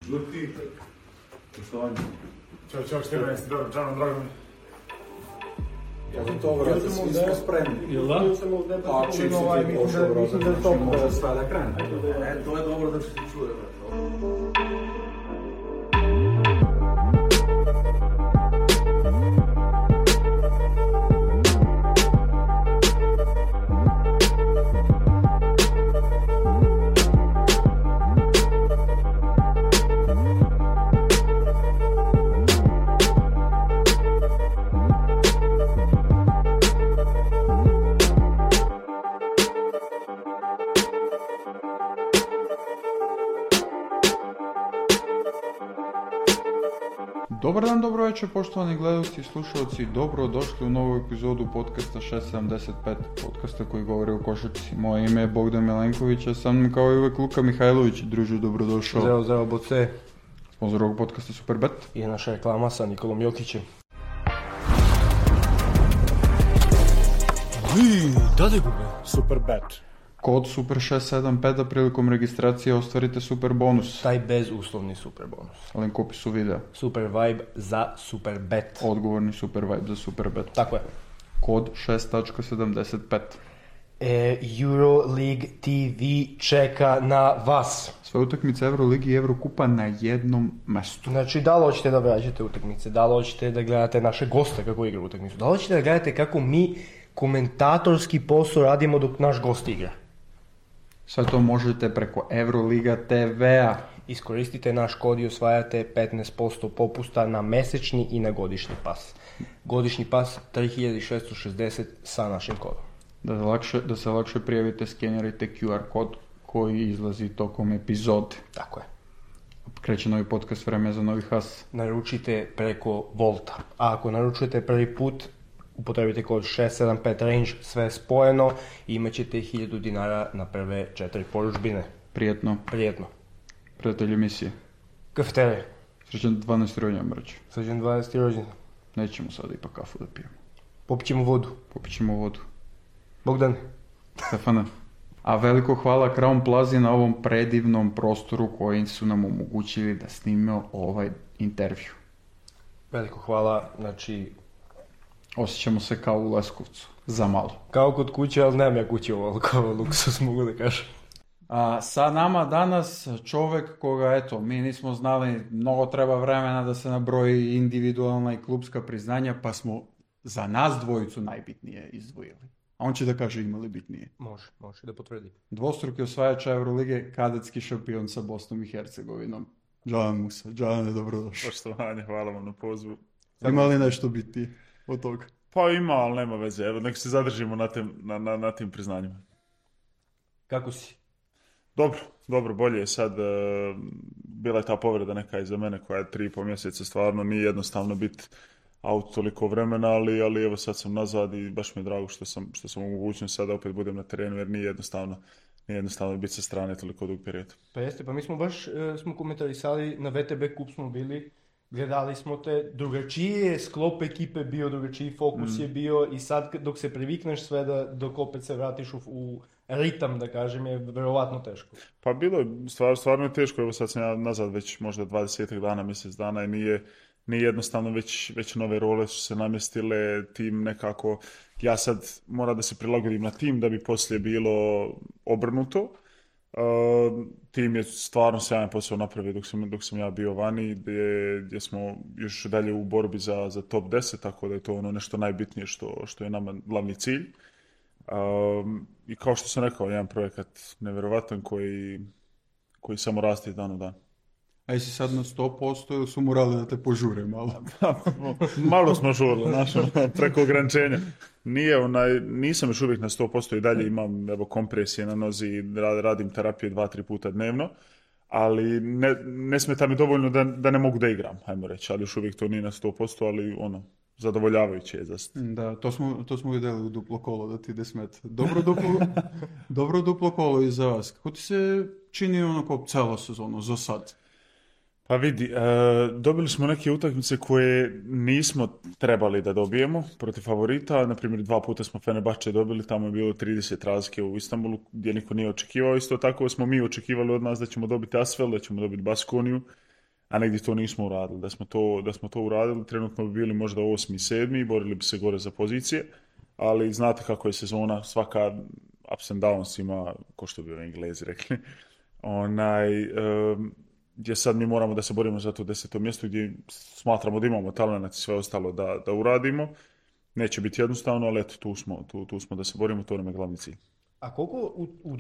Žuti, poštovanje. Ćao, Števane, jeste dobro, drago mi. Ja sam to vrati, svi smo spremni. Jel da? Pa čim si ti pošao, brate, znači može sve da krene. To je dobro da se ti čuje, brate. Dobar dan, dobro večer, poštovani gledalci i slušalci, dobro došli u novu epizodu podcasta 675, podcasta koji govori o košarci. Moje ime je Bogdan Milenković, a sam kao i uvek Luka Mihajlović. Druže, dobrodošao. Zdravo, Boce. Sponzor ovog podcasta Superbet. I naša reklama sa Nikolom Jokićem. Da li gube? Superbet. Kod Super675 da prilikom registracije ostvarite super bonus. Taj bezuslovni super bonus. Link u opisu videa. Super vibe za Superbet. Odgovorni super vibe za Superbet. Tako je. Kod 6.75. Euroleague TV čeka na vas. Sve utakmice Euroligi i Eurokupa na jednom mestu. Znači, da li hoćete da vraćate utakmice, da li hoćete da gledate naše goste kako igra utakmicu, da li hoćete da gledate kako mi komentatorski posao radimo dok naš gost igra. Sve to možete preko Euroliga TV-a. Iskoristite naš kod i osvajate 15% popusta na mesečni i na godišnji pas. Godišnji pas 3660 sa našim kodom. Da se lakše prijavite, skenirajte QR kod koji izlazi tokom epizode. Tako je. Kreće novi podcast, vreme za novi has. Naručite preko Volta. A ako naručujete prvi put, upotrebite kod 675 range, sve spojeno i imat ćete 1000 dinara na prve 4 poručbine. Prijetno. Prijatelji emisije. Kafeterije. Srećan 12. rođendan, braću. Srećan 12. rođendan. Nećemo sada ipak kafu da pijemo. Popićemo vodu. Bogdan. Stefana. A veliko hvala Crown Plazi na ovom predivnom prostoru koji su nam omogućili da snimimo ovaj intervju. Veliko hvala, znači... Osjećamo se kao u Leskovcu, za malo. Kao kod kuće, ali nemam ja kuće kao luksus, mogu da kažem. Sa nama danas čovek koga, eto, mi nismo znali, mnogo treba vremena da se nabroji individualna i klubska priznanja, pa smo za nas dvojicu najbitnije izdvojili. A on će da kaže imali bitnije. Može da potvrdi. Dvostruki osvajač Eurolige, kadetski šampion sa Bosnom i Hercegovinom. Džan Musa, Džane, dobrodošao. Poštovanje, hvala vam na pozivu. Ima li nešto bitnije od toga? Pa ima, ali nema veze. Evo, nek se zadržimo na tim priznanjima. Kako si? Dobro, bolje je sad. Bila je ta povreda neka iza mene koja je 3,5 mjeseca, stvarno nije jednostavno biti out toliko vremena, ali evo sad sam nazad i baš mi je drago što sam u mogućnosti sada opet budem na terenu, jer nije jednostavno biti sa strane toliko dug period. Pa jeste, pa mi smo baš smo komentarisali, na VTB kup smo bili, gledali smo te, drugačije sklop ekipe bio, drugačiji fokus je bio i sad dok se privikneš sve dok opet se vratiš u ritam, da kažem, je verovatno teško. Pa bilo je, stvarno je teško, evo sad sam ja nazad već možda 20 dana, mjesec dana i nije jednostavno, već nove role su se namjestile, tim nekako, ja sad moram da se prilagodim na tim da bi poslije bilo obrnuto. Tim je stvarno sjajan posao napravio dok sam ja bio vani, gdje smo još dalje u borbi za top 10, tako da je to ono nešto najbitnije što je nama glavni cilj. I kao što sam rekao, jedan projekat nevjerovatan koji samo raste iz dan u dan. A jesi sad na 100% ili su morali da te požure malo? Malo smo žurili, preko ograničenja. Nisam još uvijek na 100% i dalje imam kompresije na nozi i radim terapije 2-3 puta dnevno, ali ne smeta mi dovoljno da ne mogu da igram, ajmo reći, ali još uvijek to nije na 100%, ali zadovoljavajuće je. Da, to smo vidjeli u duplo kolo da ti ide smet. Dobro duplo kolo i za vas. Kako ti se čini onako celo sezono za sad? Pa vidi, dobili smo neke utakmice koje nismo trebali da dobijemo protiv favorita. Naprimjer, 2 puta smo Fenerbahče dobili, tamo je bilo 30 razlike u Istanbulu gdje niko nije očekivao. Isto tako smo mi očekivali od nas da ćemo dobiti Asvel, da ćemo dobiti Baskoniju a negdje to nismo uradili. Da smo to uradili, trenutno bi bili možda 8. i 7. i borili bi se gore za pozicije, ali znate kako je sezona, svaka ups and downs ima, ko što bi Englezi rekli, gdje sad mi moramo da se borimo za to 10. mjesto gdje smatramo da imamo talent i sve ostalo da uradimo. Neće biti jednostavno, ali eto, tu smo da se borimo, to nam je glavni cilj. A koliko u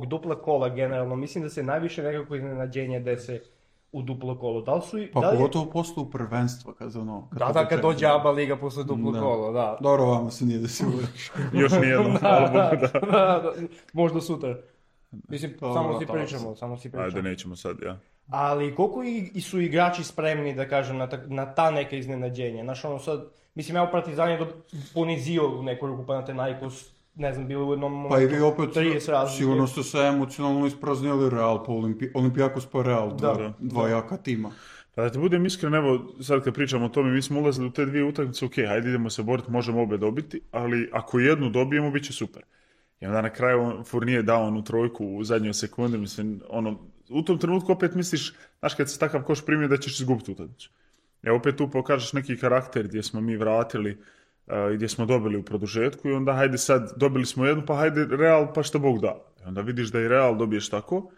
dupla kola generalno, mislim da se najviše nekako iznenađenje dese u duplo kolo. Da li su Pa pogotovo posle prvenstva, kad dođe ABA liga posle duplo kolo, da. Dobro, vama se nije desilo. Još nijedno, hvala Bogu, da. Možda sutra. Mislim, samo si pričamo. Ajde, nećemo sad, ja. Ali koliko su igrači spremni, da kažem, na ta neka iznenađenja? Znaš, ono sad, mislim, ja u Partizan je ponizio u neku ruku Panathinaikos, ne znam, bilo u jednom momentu. Pa i vi opet, 30 razlike. sigurno ste se emocionalno ispraznili Real po Olimpijakos pa Real, dva jaka tima. Pa da ti budem iskren, evo, sad kad pričamo o tome, mi smo ulazili u te 2 utakmice, ok, hajde idemo se boriti, možemo obe dobiti, ali ako jednu dobijemo, bit će super. I onda na kraju Fournier dao onu trojku u zadnjoj sekundi, mislim, u tom trenutku opet misliš, znaš, kad se takav koš primio da ćeš izgubiti utakmicu. Opet tu pokažeš neki karakter gdje smo mi vratili, gdje smo dobili u produžetku i onda hajde sad, dobili smo jednu, pa hajde Real, pa šta Bog da. I onda vidiš da i Real dobiješ tako.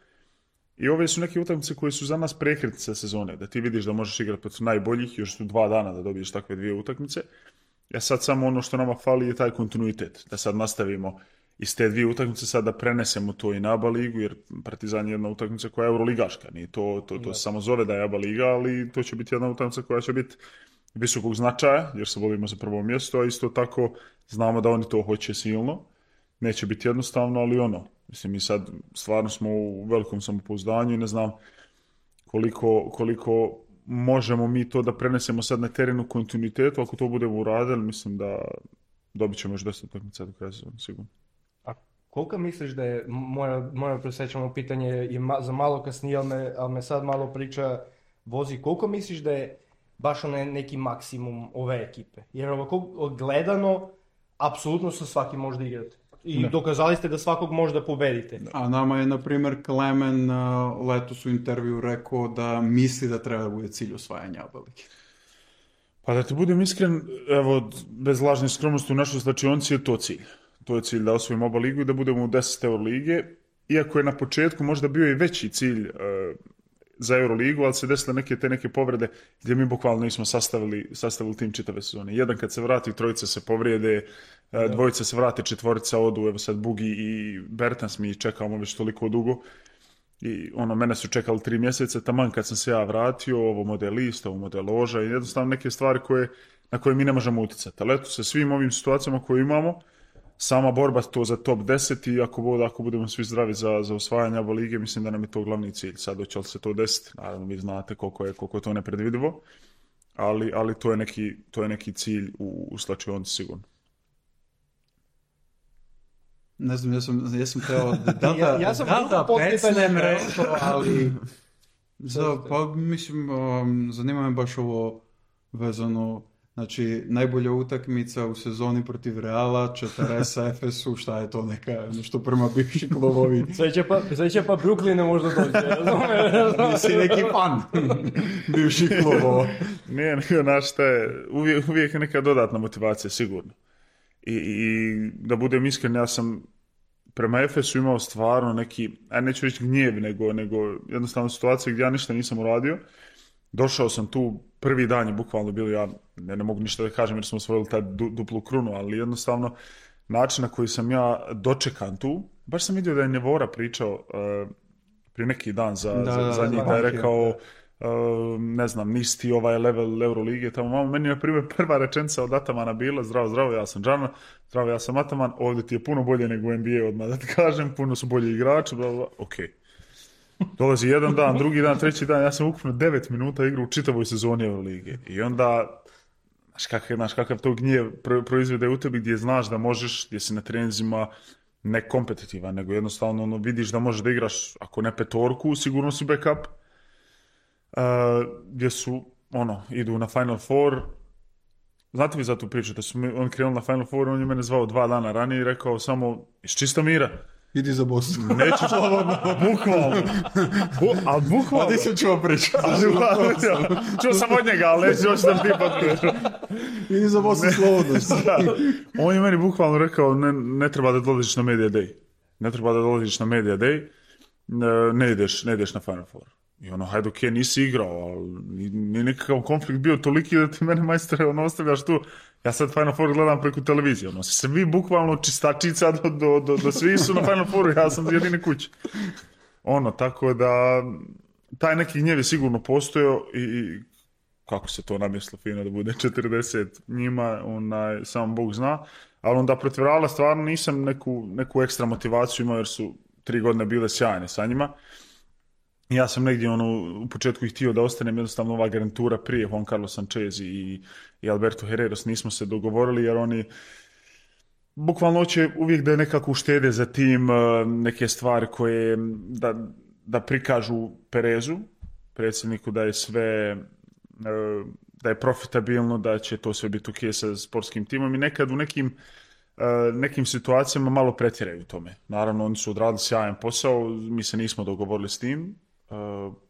I ove su neke utakmice koje su za nas prekretnice sezone, da ti vidiš da možeš igrati protiv najboljih, još su 2 dana da dobiješ takve 2 utakmice. Sad samo ono što nama fali je taj kontinuitet, da sad nastavimo iz te 2 utakmice sad da prenesemo to i na ABA ligu, jer Partizan je jedna utakmica koja je euroligaška, nije to se samo zove da je ABA liga, ali to će biti jedna utakmica koja će biti visokog značaja, jer se borimo za prvo mjesto, a isto tako znamo da oni to hoće silno. Neće biti jednostavno, ali mislim, mi sad stvarno smo u velikom samopouzdanju i ne znam koliko možemo mi to da prenesemo sad na terenu kontinuitetu. Ako to budemo uradili, mislim da dobit ćemo još 10 utakmica do kraja sezone, sigurno. A koliko misliš da je, moja presjećamo pitanje i za malo kasnije, ali me sad malo priča vozi, koliko misliš da je baš neki maksimum ove ekipe? Jer ovako gledano, apsolutno sa svakim možda igrati. I dokazali ste da svakog možda pobedite. A nama je, na primjer, Klemen letos u intervju rekao da misli da treba da bude cilj osvajanja ABA lige. Pa da ti budem iskren, evo, bez lažne skromnosti u našoj slačionci je to cilj. To je cilj da osvojimo ABA ligu i da budemo u 10 Eurolige. Iako je na početku možda bio i veći cilj za Euroligu, ali se desile neke povrede gdje mi bukvalno nismo sastavili tim čitave sezone. Jedan kad se vrati, trojica se povrijede, dvojica se vrate, četvorica odu, evo sad Bugi i Bertans mi čekamo već toliko dugo. I mene su čekali 3 mjeseca, taman kad sam se ja vratio, ovo model list, ovo model loža i jednostavno neke stvari na koje mi ne možemo utjecati. Ali eto, sa svim ovim situacijama koje imamo, sama borba to za top 10 i ako budemo svi zdravi za osvajanje ABA lige, mislim da nam je to glavni cilj. Sad hoće li se to desiti? Naravno, vi znate koliko je to nepredvidivo, ali to je neki cilj u slačionci sigurno. Ne znam, ja sam teo da pecnem rekao, ali pa mislim, zanima me baš ovo vezano. Znači, najbolja utakmica u sezoni protiv Reala, 40 Efesu, šta je to neka, nešto prema bivši klubovi. Sve će pa Brooklyne možda dođe, razumiješ? Nisi neki fan bivših klubova. Nije, znaš šta je, uvijek je neka dodatna motivacija, sigurno. I da budem iskren, ja sam prema Efesu imao stvarno neki, neću reći gnjev, nego jednostavno situacija gdje ja ništa nisam uradio. Došao sam tu, prvi dan je bukvalno bilo, ja ne mogu ništa da kažem jer smo osvojili taj duplu krunu, ali jednostavno način na koji sam ja dočekan tu, baš sam vidio da je Nevora pričao prije neki dan za njih, da je rekao, ne znam, nisi ti ovaj level Eurolige, tamo meni je prva rečenica od Atamana bila, zdravo, ja sam Džana, zdravo, ja sam Ataman, ovdje ti je puno bolje nego u NBA, odmah da ti kažem, puno su bolji igrači, ok. Dolazi jedan dan, drugi dan, treći dan, ja sam ukupno 9 minuta igrao u čitavoj sezoni Eurolige. I onda, znaš kakav to gnjev proizvede u tebi gdje znaš da možeš, gdje si na treninzima ne kompetitivan, nego jednostavno vidiš da možeš da igraš, ako ne petorku, sigurno si backup. Gdje su, idu na Final Four. Znate vi za tu priču, da su on krenuli na Final Four, on je mene zvao 2 dana ranije i rekao samo, iz čista mira. idi za Bosnu. Neću slobodno, bukvalno. Ali bukvalno. A ti sam čuo priču. Čuo sam od njega, ali neću još da ti potvrđu. Idi za Bosnu slobodno. On je meni bukvalno rekao, ne treba da dolaziš na Media Day. Ne treba da dolaziš na Media Day, ne ideš na Final Four. I ono, hajde, okej, nisi igrao, ali nije nekakav konflikt bio toliki da ti mene, majstore, ostavljaš tu. Ja sad Final Four gledam preko televizije. Ono, svi bukvalno čistačica do svi su na Final Fouru, ja sam jedine kuće. Ono, tako da taj neki gnjev je sigurno postojao i kako se to namjeslo fino da bude 40 njima, sam Bog zna. Ali onda protiv Reala stvarno nisam neku ekstra motivaciju imao jer su 3 godine bile sjajne sa njima. Ja sam negdje u početku ih htio da ostanem, jednostavno ova garantura prije Juan Carlos Sanchez i Alberto Herreros nismo se dogovorili jer oni bukvalno hoće uvijek da nekako uštede za tim neke stvari koje da prikažu Perezu, predsjedniku, da je sve da je profitabilno, da će to sve biti ok sa sportskim timom i nekad u nekim situacijama malo pretjeraju u tome. Naravno, oni su odradili sjajan posao, mi se nismo dogovorili s tim.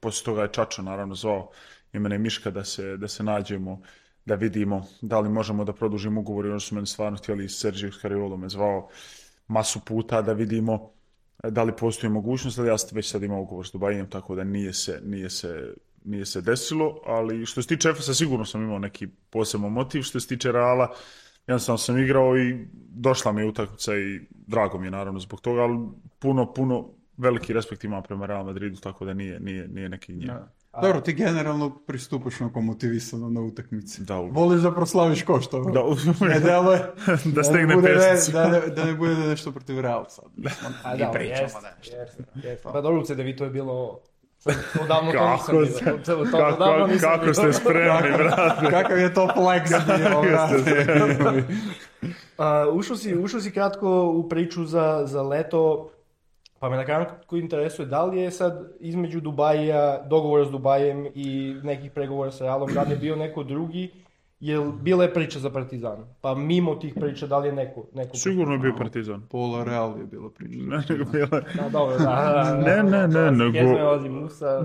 Poslije toga je Čačo naravno zvao i mene i Miška da se nađemo, da vidimo da li možemo da produžimo ugovor i oni su meni stvarno htjeli, Sergio Scariolo me zvao masu puta da vidimo da li postoji mogućnost, ali ja već sad imam ugovor s Dubajem, tako da nije se desilo, ali što se tiče Efesa sigurno sam imao neki poseban motiv, što se tiče Reala jednostavno sam igrao i došla mi je utakmica i drago mi je naravno zbog toga, ali puno veliki respekt imam prema Real Madridu, tako da nije neki gnjev. Dobro, ti generalno pristupaš onako motivisano na utakmici. Da, voliš da proslaviš košta. Da stegne pesnicu. Da ne bude nešto protiv Real sad. I pričamo nešto. Pa dobro, u CDV to je bilo... Odavno to nisam bilo. Kako ste spremni, brate? Kakav je to flex bio, brate? Ušao si kratko u priču za leto, pa me na kratko interesuje da li je sad između Dubaja, dogovora s Dubajem i nekih pregovora sa Realom, da li je bio neko drugi, jer bila je priča za Partizan, pa mimo tih priča da li je neko sigurno je bio Partizan. Pola Real je bila priča. Ne, Musa.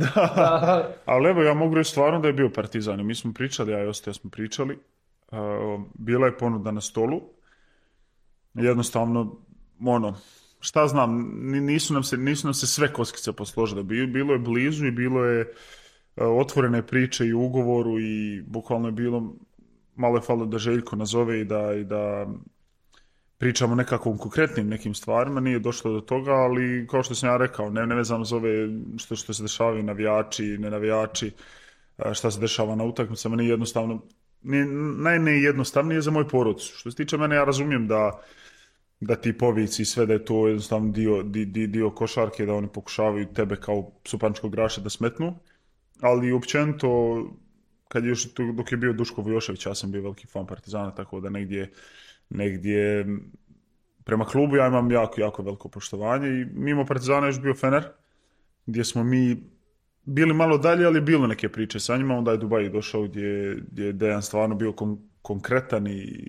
Ali evo, ja mogu reći stvarno da je bio Partizan. Mi smo pričali, ja i Ostaja smo pričali. Bila je ponuda na stolu. Jednostavno, šta znam, nisu nam se sve kockice posložile. Bilo je blizu i bilo je otvorene priče i u ugovoru i bukvalno je bilo, malo je falilo da Željko nazove i da pričamo nekakvom konkretnim nekim stvarima, nije došlo do toga, ali kao što sam ja rekao, ne vezano za ove što se dešavaju navijači, ne navijači, šta se dešava na utakmicama, nije jednostavno, najnejednostavnije za moju porodicu. Što se tiče mene, ja razumijem da ti povici i sve, da je to jednostavno dio košarke, da oni pokušavaju tebe kao supančkog igrača da smetnu, ali općenito, dok je bio Duško Vujošević, ja sam bio veliki fan Partizana, tako da negdje prema klubu ja imam jako, jako veliko poštovanje i mimo Partizana još bio Fener, gdje smo mi bili malo dalje, ali bilo neke priče sa njima, onda je Dubaj došao gdje je Dejan stvarno bio konkretan i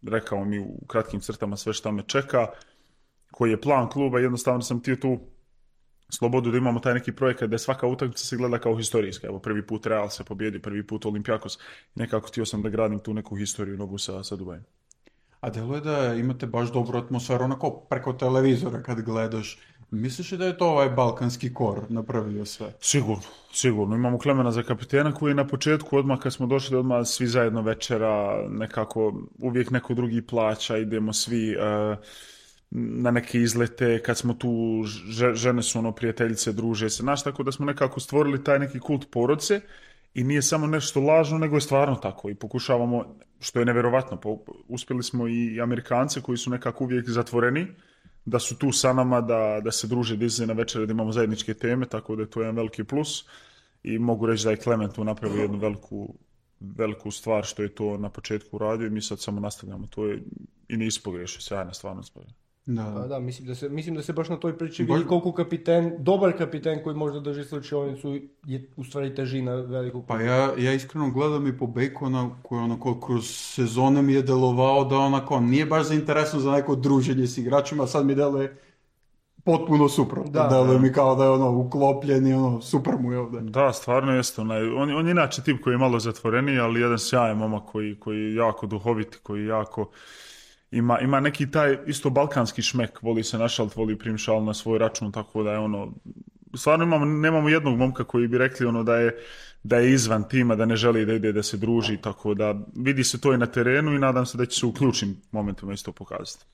rekao mi u kratkim crtama sve što me čeka, koji je plan kluba, jednostavno sam htio tu slobodu da imamo taj neki projekat da je svaka utakmica se gleda kao historijska. Evo, prvi put Real se pobjedi, prvi put Olympiakos. Nekako htio sam da gradim tu neku historiju nogu sa Dubajem. A deluje da imate baš dobru atmosferu onako preko televizora kad gledaš. Misliš da je to ovaj balkanski kor napravio sve? Sigurno. Imamo Klemena za kapitena koji je na početku, odmah kad smo došli, odmah svi zajedno večera, nekako uvijek neko drugi plaća, idemo svi na neke izlete, kad smo tu, žene su prijateljice, druže se, tako da smo nekako stvorili taj neki kult porodice i nije samo nešto lažno, nego je stvarno tako i pokušavamo, što je nevjerovatno, uspjeli smo i Amerikance koji su nekako uvijek zatvoreni, da su tu sa nama, da se druže, da izlaze na večere, da imamo zajedničke teme, tako da je to jedan veliki plus i mogu reći da je Klement tu napravio jednu veliku stvar što je to na početku uradio i mi sad samo nastavljamo, to je i nisi pogriješio, sjajna stvarno stvar. Da, mislim da se baš na toj priči vidi koliko dobar kapiten koji možda drži slučajnicu je u stvari težina velikog. Pa ja iskreno gledam i po Bacona koji onako kroz sezone mi je delovao da onako nije baš zainteresan za neko druženje s igračima, a sad mi deluje potpuno suprotno. Da mi kao da je ono uklopljen i ono super mu je ovdje. Da, stvarno jeste. On je inače tip koji je malo zatvoreniji, ali jedan sjajan momak koji je jako duhovit, koji jako ima neki taj isto balkanski šmek, voli se našalt, voli primšal na svoj račun, tako da je ono, stvarno nemamo jednog momka koji bi rekli ono da je izvan tima, da ne želi da ide da se druži, tako da vidi se to i na terenu i nadam se da će se u ključnim momentima isto pokazati.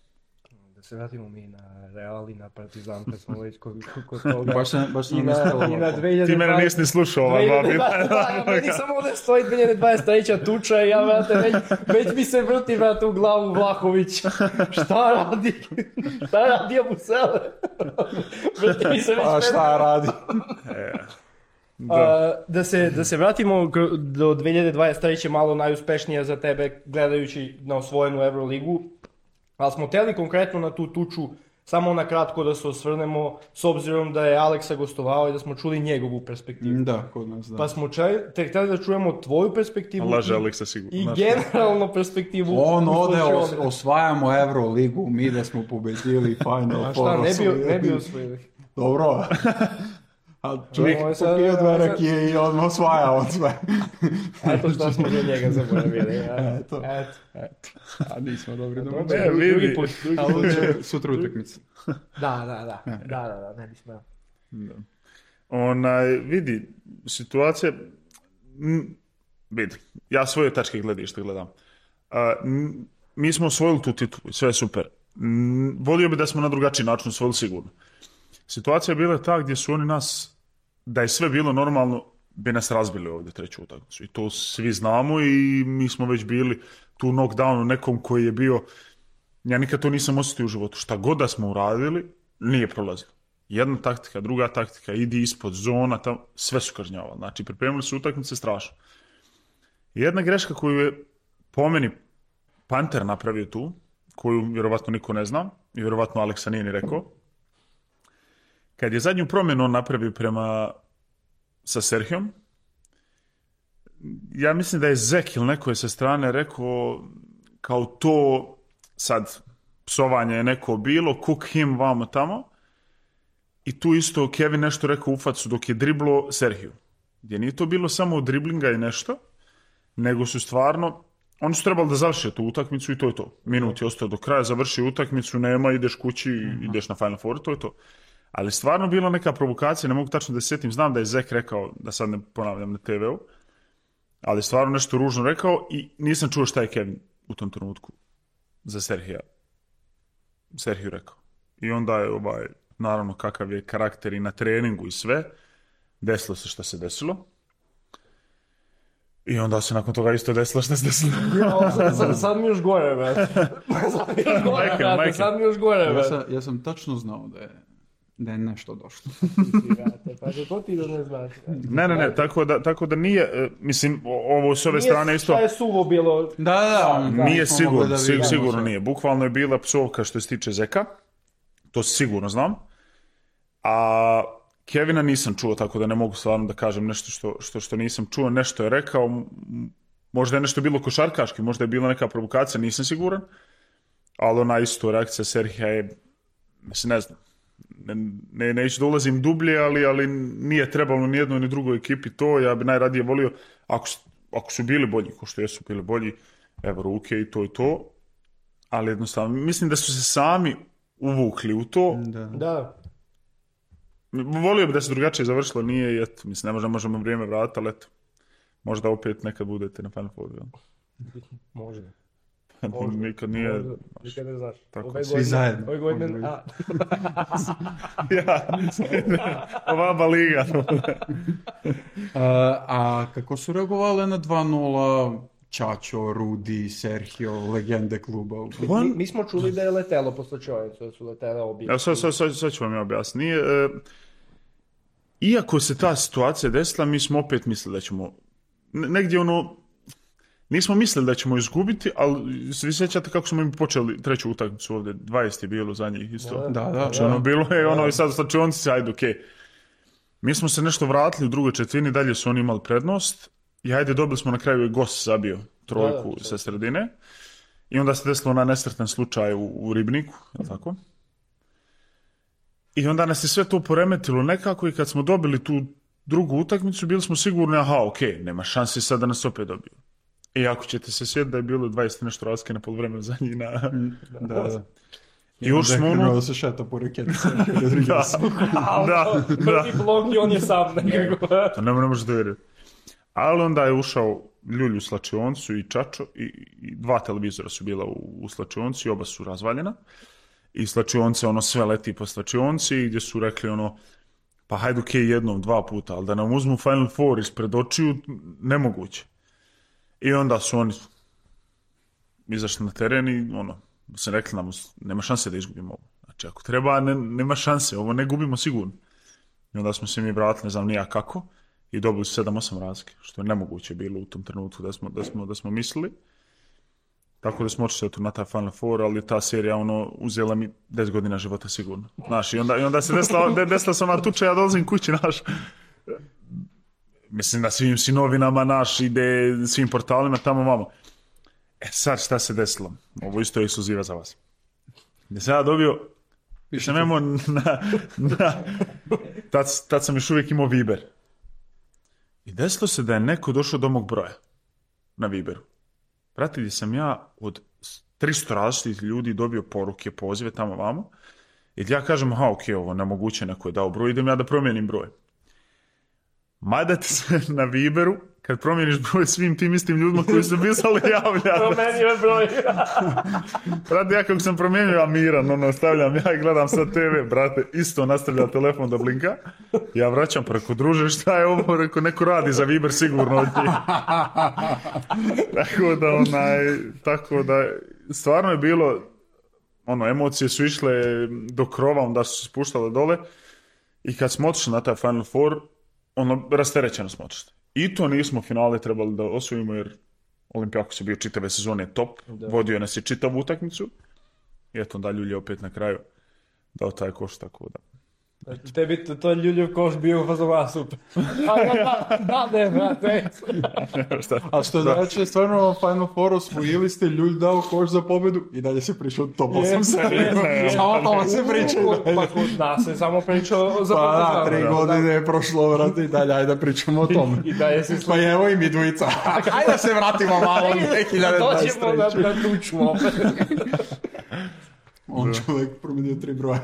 Da se vratimo mi na Real i na Partizan, kad smo već kod toga. Baš sam I na 2020. Ti mene nisi ni slušao ova dva Da, meni samo ovdje stoji 2023. tuča i ja, vrate, već mi se vrti, vrate, u glavu Vlahović. Šta radi? Šta radi Abusele? Vrti mi se već... A šta radi? Da se vratimo do 2023. malo najuspešnija za tebe, gledajući na osvojenu Euroligu. Ali smo htjeli konkretno na tu tuču samo na kratko da se osvrnemo, s obzirom da je Aleksa gostovao i da smo čuli njegovu perspektivu. Da, kod nas, da. Pa smo htjeli da čujemo tvoju perspektivu Laže Aleksa sigurno. I generalno perspektivu. On ode, osvajamo Euroligu, mi da smo pobedili Final A Four. šta, ne bi osvojili? Dobro. A čovjek popio 2 rakije i odmah osvaja on sve. Eto šta smo do njega zaboravili. Eto. A nismo dobri do Drugi put. Sutra utakmica. Da, ne bi smeo. Vidi, situacija, vidi, ja svoje tačke gledišta gledam. Mi smo osvojili tu titulu, sve je super. Volio bi da smo na drugačiji način osvojili sigurno. Situacija je bila ta gdje su oni nas, da je sve bilo normalno, bi nas razbili ovdje treću utakmicu. I to svi znamo i mi smo već bili tu knockdownu nekom koji je bio, ja nikad to nisam osjetio u životu. Šta god da smo uradili, nije prolazilo. Jedna taktika, druga taktika, idi ispod zona, tamo, sve su kažnjavali. Znači, pripremili su utakmice strašno. Jedna greška koju je po meni Panter napravio tu, koju vjerovatno niko ne zna, i vjerovatno Aleksa nije ni rekao, kad je zadnju promjenu on napravio sa Serhijom, ja mislim da je Zek ili neko je sa strane rekao kao to sad psovanje je neko bilo, cook him vamo tamo, i tu isto Kevin nešto rekao u facu dok je driblo Serhiju. Gdje nije to bilo samo driblinga i nešto, nego su stvarno, oni su trebali da završe tu utakmicu i to je to. Minut je ostao do kraja, završi utakmicu, nema, ideš kući, ideš na Final Four, to je to. Ali stvarno bila neka provokacija, ne mogu tačno da se sjetim, znam da je Zek rekao, da sad ne ponavljam na TV-u, ali stvarno nešto ružno rekao i nisam čuo šta je Kevin u tom trenutku za Serhiju rekao. I onda je naravno kakav je karakter i na treningu i sve, desilo se šta se desilo. I onda se nakon toga isto desilo šta se desilo. Sad mi još gore, brate. Sad mi još gore, brate. Ja sam tačno znao da je nešto došlo. Pa to ti da ne znaš. Ne, tako da nije, mislim, ovo s ove strane isto... Šta je suvo bilo? Da, nije sigurno nije. Bukvalno je bila psovka što se tiče Zeka, to sigurno znam, a Kevina nisam čuo, tako da ne mogu stvarno da kažem nešto što nisam čuo, nešto je rekao, možda je nešto bilo košarkaški, možda je bila neka provokacija, nisam siguran, ali ona isto reakcija Serhija je, mislim, ne znam, neću da ulazim dublje, ali nije trebalo ni jednoj ni drugoj ekipi to, ja bi najradije volio, ako su bili bolji, ko što jesu bili bolji, evo ruke i to, ali jednostavno, mislim da su se sami uvukli u to. Da. Volio bi da se drugačije završilo, nije i eto, mislim, ne možemo vrijeme vratiti, ali eto, možda opet nekad budete na Final Four. Možda. Nikad nije... Nikad ne znaš. Svi zajedno. Ove godine... Ovaba liga. A kako su reagovali na 2-0 Čačo, Rudi, Sergio, legende kluba? Mi smo čuli da je letelo posle čovjeca, da su letele obje. Sad ću vam ja objasniti. Iako se ta situacija desila, mi smo opet mislili da ćemo... Negdje nismo mislili da ćemo izgubiti, ali svi sjećate kako smo im počeli treću utakmicu ovdje. 20 je bilo za njih isto. Da. Bilo je i sad u slačionici, ajde, okej. Mi smo se nešto vratili u drugoj četvrtini, dalje su oni imali prednost. I ajde, dobili smo na kraju i Gos zabio trojku sa sredine. I onda se desilo na nesretan slučaj u Ribniku, je li tako? I onda nas je sve to poremetilo nekako i kad smo dobili tu drugu utakmicu, bili smo sigurni, ok, nema šanse sad da nas opet dobiju. I ako ćete se sjetiti da je bilo 20 nešto razlike na poluvremenu za njih na... Da. I još smo ono... da se šeta po reketice. Da. Prvi blok i on je sam nekako. To ne možeš da vjeriti. Ali onda je ušao Ljulj u slačioncu i Čačo i 2 televizora su bila u slačionci i oba su razvaljena. I slačionce, ono sve leti po slačionci gdje su rekli ono, pa hajde jednom, 2 puta, ali da nam uzmu Final Four ispred očiju, nemoguće. I onda su oni izašli na teren i ono, sam rekli nam, nema šanse da izgubimo ovo. Znači, ako treba, nema šanse, ovo ne gubimo sigurno. I onda smo se mi vratili, ne znam nija kako, i dobili 7-8 razlike, što je nemoguće bilo u tom trenutku da smo mislili. Tako da smo očeli na taj Final Four, ali ta serija ono, uzela mi 10 godina života sigurno. Znaš, i onda se desila se ona tuča, ja dolazim kući, naš. Mislim da svim novinama naš ide, svim portalima, tamo vamo. Sad šta se desilo? Ovo isto je ekskluziva za vas. Gdje sam ja dobio, više nemo tad sam još uvijek imao Viber. I desilo se da je neko došao do mog broja na Viberu. Brate, gdje sam ja od 300 različitih ljudi dobio poruke, pozive tamo vamo. I ja kažem, ovo nemoguće, neko je dao broj, idem ja da promijenim broj. Mada ti se na Viberu, kad promijeniš broj svim tim istim ljudima koji su pisali javlja. Promijenio broj. Brate, ja kako sam promijenio Miran, stavljam ja i gledam sad TV, brate, isto nastavlja telefon da blinka. Ja vraćam preko druže, šta je ovo, reko, neko radi za Viber sigurno od njih. Tako da, stvarno je bilo, emocije su išle do krova, onda su se spuštale dole i kad smo otišli na taj Final Four, rasterećeno smo otišli. I to nismo finale trebali da osvojimo jer Olimpijakos je bio čitave sezone top, vodio nas je čitavu utakmicu i eto onda Ljulj je opet na kraju dao taj koš, tako da. Tebi to Ljuljev koš bio fazova super. Da, brate. A što znači, stvarno Final Four osvojili ste, Ljulj dao koš za pobjedu i dalje se pričao top 8 serije. Samo tamo se pričao. Pa kod nas se samo pričao za pobjedu. Pa da, 3 godine je prošlo, vrati, i dalje, ajde da pričamo o tome. I dalje se pa evo i mi dvojica. Ajde da se vratimo malo u 2023. Doćemo da tučemo opet. On čovjek promijenio 3 broja.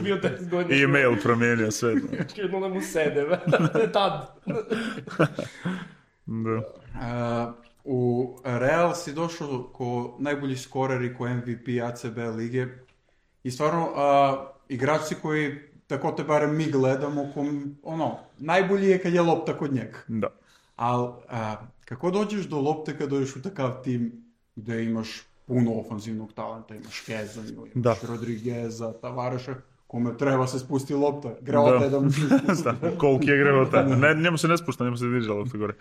Bio 10 godina. I email promijenio sve. Jedno da mu sede. Tad. Da. U Real si došao ko najbolji skorer i ko MVP ACB lige. I stvarno, igrači koji, tako te barem mi gledamo, najbolji je kad je lopta kod njega. Da. Ali kako dođeš do lopte kad dođeš u takav tim gdje imaš puno ofanzivnog talenta, imaš Kezanju, imaš Rodrigueza, Tavareša, kome treba se spusti lopta, Grevota je da mu se spusti. Koliki je Grevota? Njemu se ne spušta, njemu se diže lopta gore.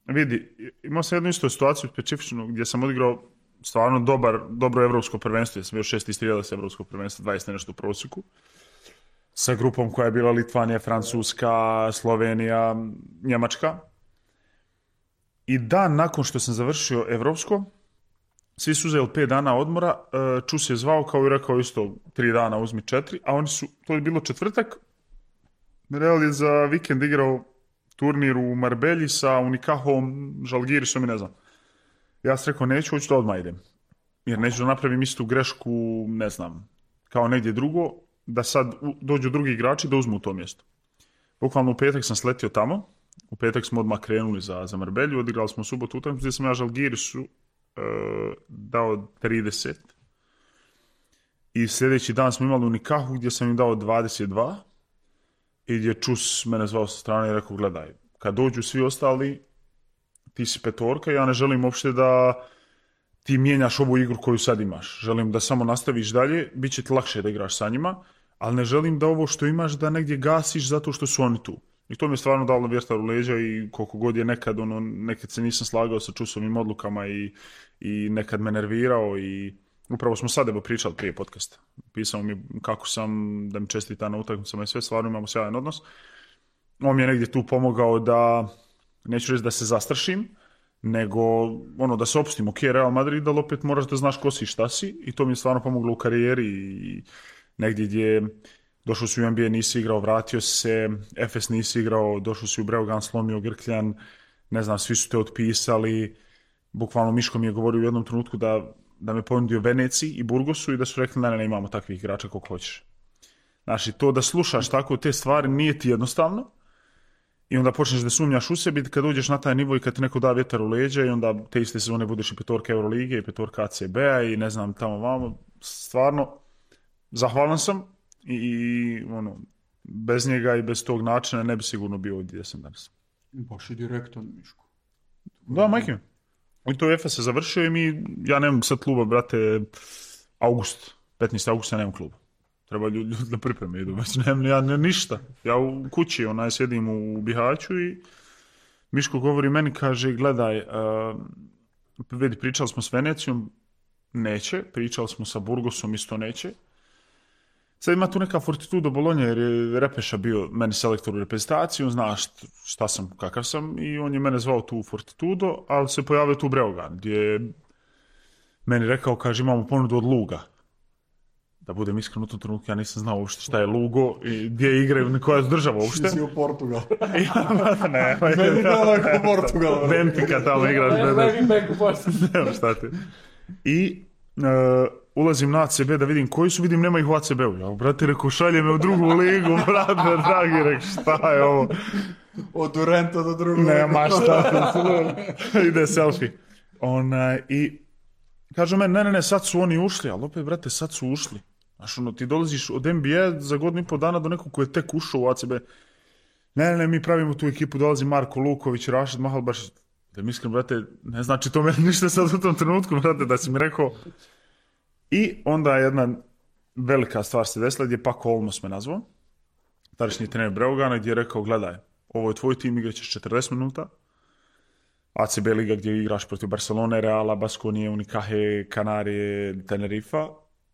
Vidi, imao sam jednu istu situaciju specifičnu gdje sam odigrao stvarno dobro evropsko prvenstvo, ja sam bio 6 istrijela sa evropskog prvenstva, 20 nešto u prosjeku, sa grupom koja je bila Litvanija, Francuska, Slovenija, Njemačka. I dan nakon što sam završio evropsko, svi su uzeli 5 dana odmora, Čus je zvao kao i rekao isto 3 dana uzmi 4, a oni su, to je bilo četvrtak, Real je za vikend igrao turnir u Marbelji sa Unikahom, Žalgirisom i ne znam. Ja sam rekao neću, hoću da odmah idem. Jer neću da napravim istu grešku, ne znam, kao negdje drugo, da sad dođu drugi igrači da uzmu to mjesto. Bukvalno u petak sam sletio tamo, u petak smo odmah krenuli za Marbelju, odigrali smo u subotu utakmicu gdje sam ja Žalgirisu dao 30. I sljedeći dan smo imali u Nikahu gdje sam im dao 22. I gdje Čus mene zvao sa strane i rekao, gledaj, kad dođu svi ostali, ti si petorka, ja ne želim uopšte da ti mijenjaš ovu igru koju sad imaš. Želim da samo nastaviš dalje, bit će ti lakše da igraš sa njima, ali ne želim da ovo što imaš da negdje gasiš zato što su oni tu. I to mi je stvarno dalo vjetar u leđa i koliko god je nekad se nisam slagao sa Čusovim odlukama i nekad me nervirao i upravo smo sad pričali prije podcasta. Pisao mi kako sam, da mi čestita na utakmicama i sve, stvarno imamo sjajan odnos. On mi je negdje tu pomogao da, neću reći da se zastrašim, nego ono da se opustimo, ok, Real Madrid, ali opet moraš da znaš ko si i šta si i to mi je stvarno pomoglo u karijeri i negdje gdje došao si u NBA, nisi igrao, vratio se, FS nisi igrao, došao si u Breogan, slomio grkljan, ne znam, svi su te otpisali, bukvalno Miško mi je govorio u jednom trenutku da me ponudio Veneciji i Burgosu i da su rekli ne, imamo takvih igrača koliko hoćeš. Znači, to da slušaš tako te stvari nije ti jednostavno i onda počneš da sumnjaš u sebi kad uđeš na taj nivo i kad ti neko da vjetar u leđa i onda te iste sezone budeš i petorka Eurolige i petorka ACB-a i ne znam tamo vamo. Stvarno, zahvalan sam i ono, bez njega i bez tog načina ne bi sigurno bio ovdje gdje sam danas. Baš i direktan, Miško. Da, majke. I to FS se završio i ja nemam sad kluba, brate, august, 15. augusta nemam kluba. Treba ljudi na pripreme idu, ja ništa. Ja u kući sjedim u Bihaću i Miško govori meni, kaže, gledaj, vidi, pričali smo s Venecijom, neće, pričali smo sa Burgosom, isto neće. Sad ima tu neka Fortitudo Bologna jer je Repeša bio meni selektor u reprezentaciji, on zna šta sam, kakav sam i on je mene zvao tu u Fortitudo, ali se pojavio tu u Breogan gdje je meni rekao, kaže, imamo ponudu od Luga. Da budem iskren u tom trenutku, ja nisam znao uopšte šta je Lugo i gdje igraju, koja je država uopšte. Si u Portugal. Ne, Meni daleko Portugal. Benfica tamo igraš. Ne, šta ti. I ulazim na ACB da vidim koji su, vidim nema ih u ACB-u. Ja, brate, rekao, šalje me u drugu ligu, brate, dragi, rekao, šta je ovo? Od Durenta do drugog. Nema šta. Ide selfie. I kažu meni, ne, sad su oni ušli, ali opet, brate, sad su ušli. Znaš, ti dolaziš od NBA za godinu i pol dana do nekog koji je tek ušao u ACB. Ne, mi pravimo tu ekipu, dolazi Marko Luković, Rašid Mahalbaš. Da mi iskren, brate, ne znači to meni ništa sad u tom trenutku, brate, da si mi rekao. I onda jedna velika stvar se desila gdje Paco Olmos me nazvao, tadašnji trener Breogana, gdje je rekao, gledaj, ovo je tvoj tim, igraćeš 40 minuta, ACB liga gdje igraš protiv Barcelone, Reala, Baskonije, Unicaje, Kanarije, Tenerifa,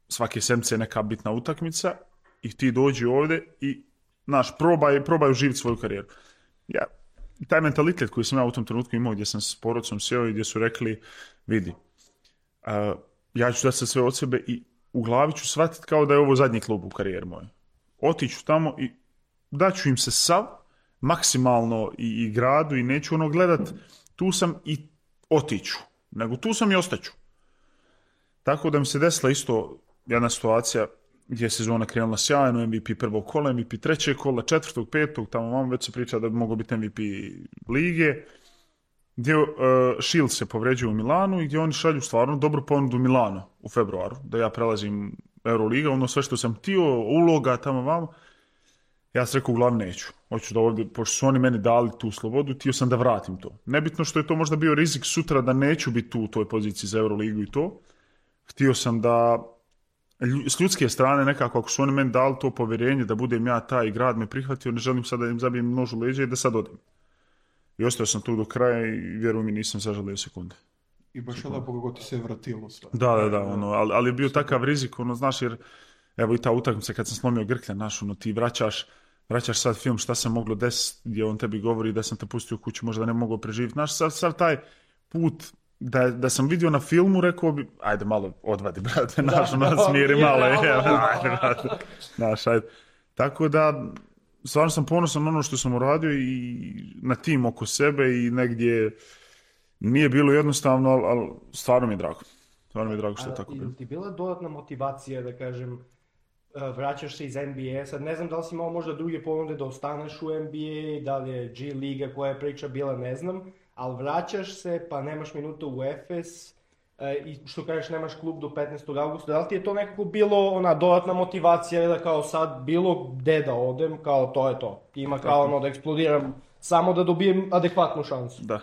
svake sedmice je neka bitna utakmica i ti dođi ovdje i probaj uživiti svoju karijeru. Ja, taj mentalitet koji sam ja u tom trenutku imao gdje sam s porodcom sjeo i gdje su rekli, vidi, ja ću dati sve od sebe i u glavi ću shvatiti kao da je ovo zadnji klub u karijeri moj. Otiću tamo i daću im se sav, maksimalno i gradu i neću gledat tu sam i otiću, nego tu sam i ostaću. Tako da mi se desila isto jedna situacija gdje je sezona krenula sjajno, MVP prvog kola, MVP trećeg kola, četvrtog, petog, tamo vam već se priča da bi mogao biti MVP lige, gdje Shield se povređuje u Milanu i gdje oni šalju stvarno dobru ponudu Milano u februaru, da ja prelazim Euroliga, sve što sam htio, uloga tamo vamo. Ja sam rekao, u glavi neću. Hoću da ovdje, pošto su oni meni dali tu slobodu, htio sam da vratim to. Nebitno što je to možda bio rizik sutra da neću biti tu u toj poziciji za Euroligu i to. Htio sam da s ljudske strane nekako, ako su oni meni dali to povjerenje da budem ja taj i grad me prihvatio, ne želim sad da im zabijem nož u leđa i da sad odem. I ostao sam tu do kraja i vjerujem mi nisam zažalio sekunde. I baš je lepo kako ti se vratilo sve. Da, ali je bio takav rizik, znaš, jer evo i ta utakmica kad sam slomio grkljan, znaš, ti vraćaš sad film šta se moglo desiti, gdje on tebi govori da sam te pustio u kuću, možda ne mogu preživjeti. Znaš, sad taj put da sam vidio na filmu, rekao bi, ajde malo odvadi, brate, smiri malo, ajde, brate, znaš, ajde. Tako da, stvarno sam ponosan na ono što sam uradio i na tim oko sebe i negdje nije bilo jednostavno, ali stvarno mi je drago. Stvarno mi je drago što je tako bilo. Ti bila dodatna motivacija, da kažem, vraćaš se iz NBA, sad ne znam da li si imao možda druge ponude da ostaneš u NBA, da li je G Liga koja je priča bila, ne znam, ali vraćaš se pa nemaš minuta u Efes i što kažeš nemaš klub do 15. augusta, da li ti je to nekako bilo ona dodatna motivacija da kao sad bilo gde da odem, kao to je to, ima kao da eksplodiram samo da dobijem adekvatnu šansu. Da,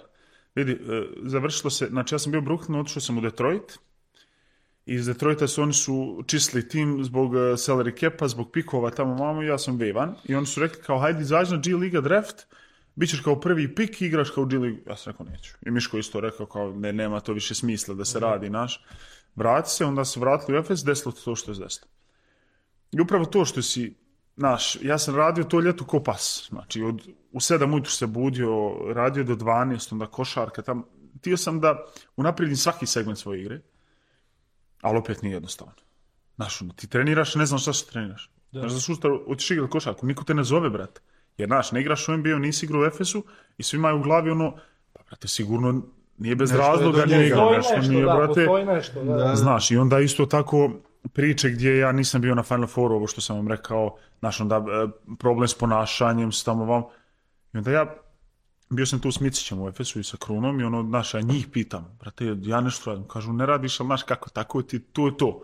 vidi, završilo se, znači ja sam bio u Brooklynu, otišao sam u Detroit. Iz Detroita oni su čistili tim zbog salary capa, zbog pikova tamo vamo i ja sam vevan. I oni su rekli kao hajde izađi na G Liga draft, bit ćeš kao prvi pik i igraš kao G Ligu. Ja sam rekao neću. I Miško isto rekao kao nema to više smisla da se radi naš. Vrati se, onda se vratili u Efes, desilo to što je desilo. I upravo to što si, ja sam radio to ljeto ko pas. Znači u 7 ujutru se budio, radio do 12, onda košarka tamo. htio sam da unaprijedim svaki segment svoje igre, ali opet nije jednostavno. Znaš, ti treniraš, ne znam šta se treniraš. Znaš, za sustav, hoćeš igrati košarku, niko te ne zove, brate. Jer, znaš, ne igraš u NBA, nisi igrao u Efesu i svi imaju u glavi ono, pa, brate, sigurno nije bez razloga nije igrao, postoji nešto, da. Znaš, i onda isto tako priče gdje ja nisam bio na Final Fouru, ovo što sam vam rekao, znaš, onda problem s ponašanjem, s tamo vam. I onda ja, bio sam tu s Micićem u Efesu i sa Krunom i ono, znaš, ja njih pitam, brate, ja nešto radim, kažu, ne radiš, ali znaš kako, tako ti, to je to.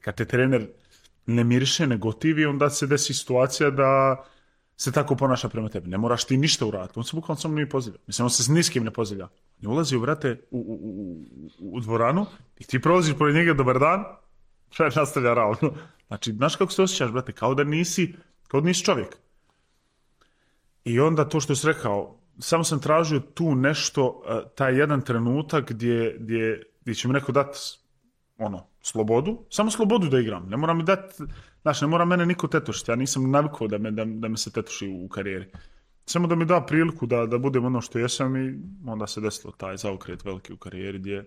Kad te trener ne miriše, ne gotivi, onda se desi situacija da se tako ponaša prema tebi. Ne moraš ti ništa uraditi. On se bukvalno samo nije pozdravlja. Mislim, on se s niskim ne pozdravlja. On ulazi, brate, u dvoranu i ti prolaziš pored njega, dobar dan, nastavlja ravno. Znači, znaš kako se osjećaš, brate, kao da nisi čovjek. I onda to što si rekao, samo sam tražio tu nešto, taj jedan trenutak gdje će mi neko dati slobodu, samo slobodu da igram. Ne mora mi dati, znaš, ne mora mene niko tetošiti. Ja nisam navikao da me se tetoši u karijeri. Samo da mi da priliku da budem ono što jesam i onda se desilo taj zaokret veliki u karijeri gdje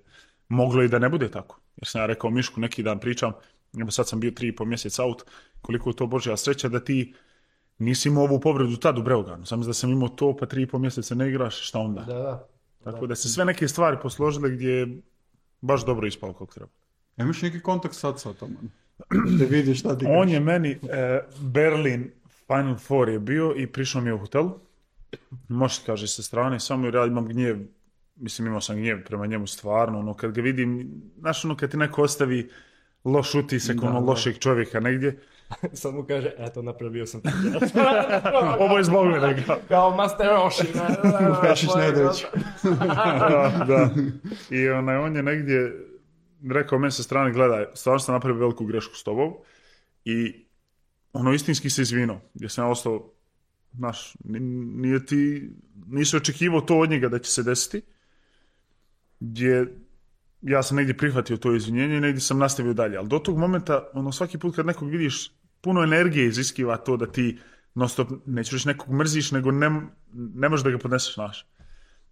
moglo i da ne bude tako. Jer sam ja rekao Mišku, neki dan pričam, evo sad sam bio 3,5 mjeseca out, koliko je to Božja sreća da ti nisi imao ovu povredu tad u Breoganu. Sam da sam imao to, pa 3,5 mjeseca ne igraš, šta onda? Da. Tako da se sve neke stvari posložile gdje je baš dobro ispalo kako treba. Imaš neki kontakt sad sa tom? Da vidiš šta ti On je meni, Berlin Final Four je bio i prišao mi je u hotelu. Može kaže sa strane, samo jer ja imam gnjev, mislim imao sam gnjev prema njemu stvarno, ono kad ga vidim, znaš ono kad ti neko ostavi loš utisak, lošeg čovjeka negdje. Sad mu kaže, eto napravio sam Ovo je zbog mene. Kao Master Roshi. Pešić Nedović. Da. I on je negdje rekao meni sa strane, gledaj, stvarno sam napravio veliku grešku s tobom i istinski se izvinuo, gdje sam ja ostao, znaš, nisi očekivao to od njega da će se desiti, gdje ja sam negdje prihvatio to izvinjenje i negdje sam nastavio dalje, ali do tog momenta, svaki put kad nekog vidiš, puno energije iziskiva to da ti non-stop, neću reći nekog mrziš, nego ne možeš da ga podneseš, znaš.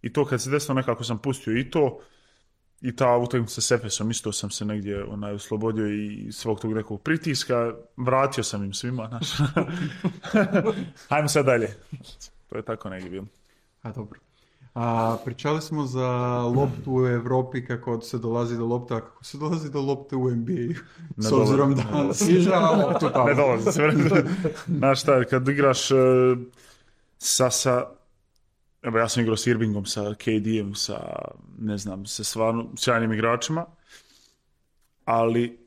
I to kad se desilo nekako sam pustio i to, i ta utakmica s Efesom, isto sam se negdje oslobodio i svog tog nekog pritiska, vratio sam im svima, znaš. Hajmo sad dalje. To je tako negdje bilo. Dobro. Pričali smo za loptu u Europi, kako se dolazi do lopte, a kako se dolazi do lopte u NBA. S obzirom da si igrao loptu tamo. Ne dolazi se. Znaš šta, kad igraš sa evo ja sam igrao s Irvingom, sa KD-em, sa stvarno sjajnim igračima, ali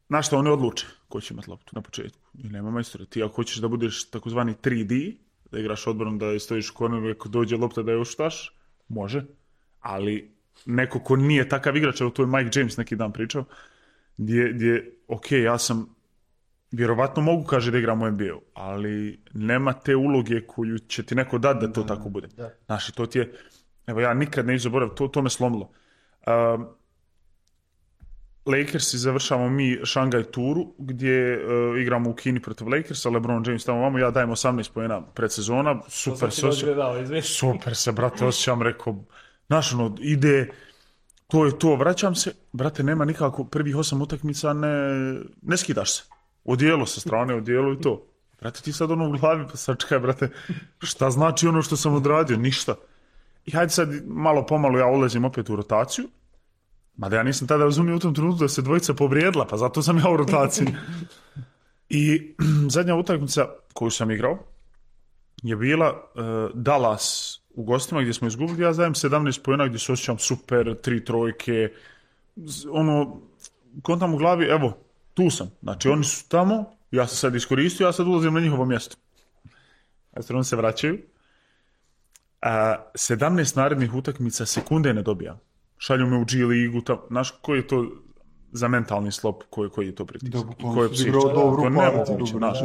znaš šta, oni odluče ko će imati loptu na početku. I nema majstora. Ti ako hoćeš da budeš takozvani 3D, da igraš odbranom, da stojiš u korneru, ako dođe lopta da je oštaš, može, ali neko ko nije takav igrač, evo to je Mike James neki dan pričao, gdje ok, ja sam vjerovatno mogu kaže da igram u NBA-u, ali nema te uloge koju će ti neko dati da to tako bude. Znaš, to ti je, evo ja nikad ne zaboravim, to me slomilo. Lakersi završavamo mi Šangaj turu gdje igramo u Kini protiv Lakersa, LeBron James tamo vamo, ja dajem 18 poena predsezona, super se, brate, osjećam, rekao, znaš, ide, to je to, vraćam se, brate, nema nikako, prvih 8 utakmica, ne skidaš se. Odijelo sa strane, odijelo i to. Brate, ti sad u glavi, pa sad čekaj, brate, šta znači ono što sam odradio? Ništa. I hajde sad malo pomalo ja ulazim opet u rotaciju, mada ja nisam tada razumio u tom trenutku da se dvojica povrijedila, pa zato sam ja u rotaciji. I zadnja utakmica koju sam igrao je bila Dallas u gostima gdje smo izgubili, ja dajem 17 poena gdje se osjećam super, 3 trojke, kontam u glavi, evo, tu sam. Znači, oni su tamo, ja sam sad iskoristio, ja sad ulazim na njihovo mjesto. Oni se vraćaju. 17 narednih utakmica sekunde ne dobijam. Šalju me u G ligu, znaš, koji je to za mentalni slop, koji je to pritisak? Koji je psihički? To nemoguće, znaš.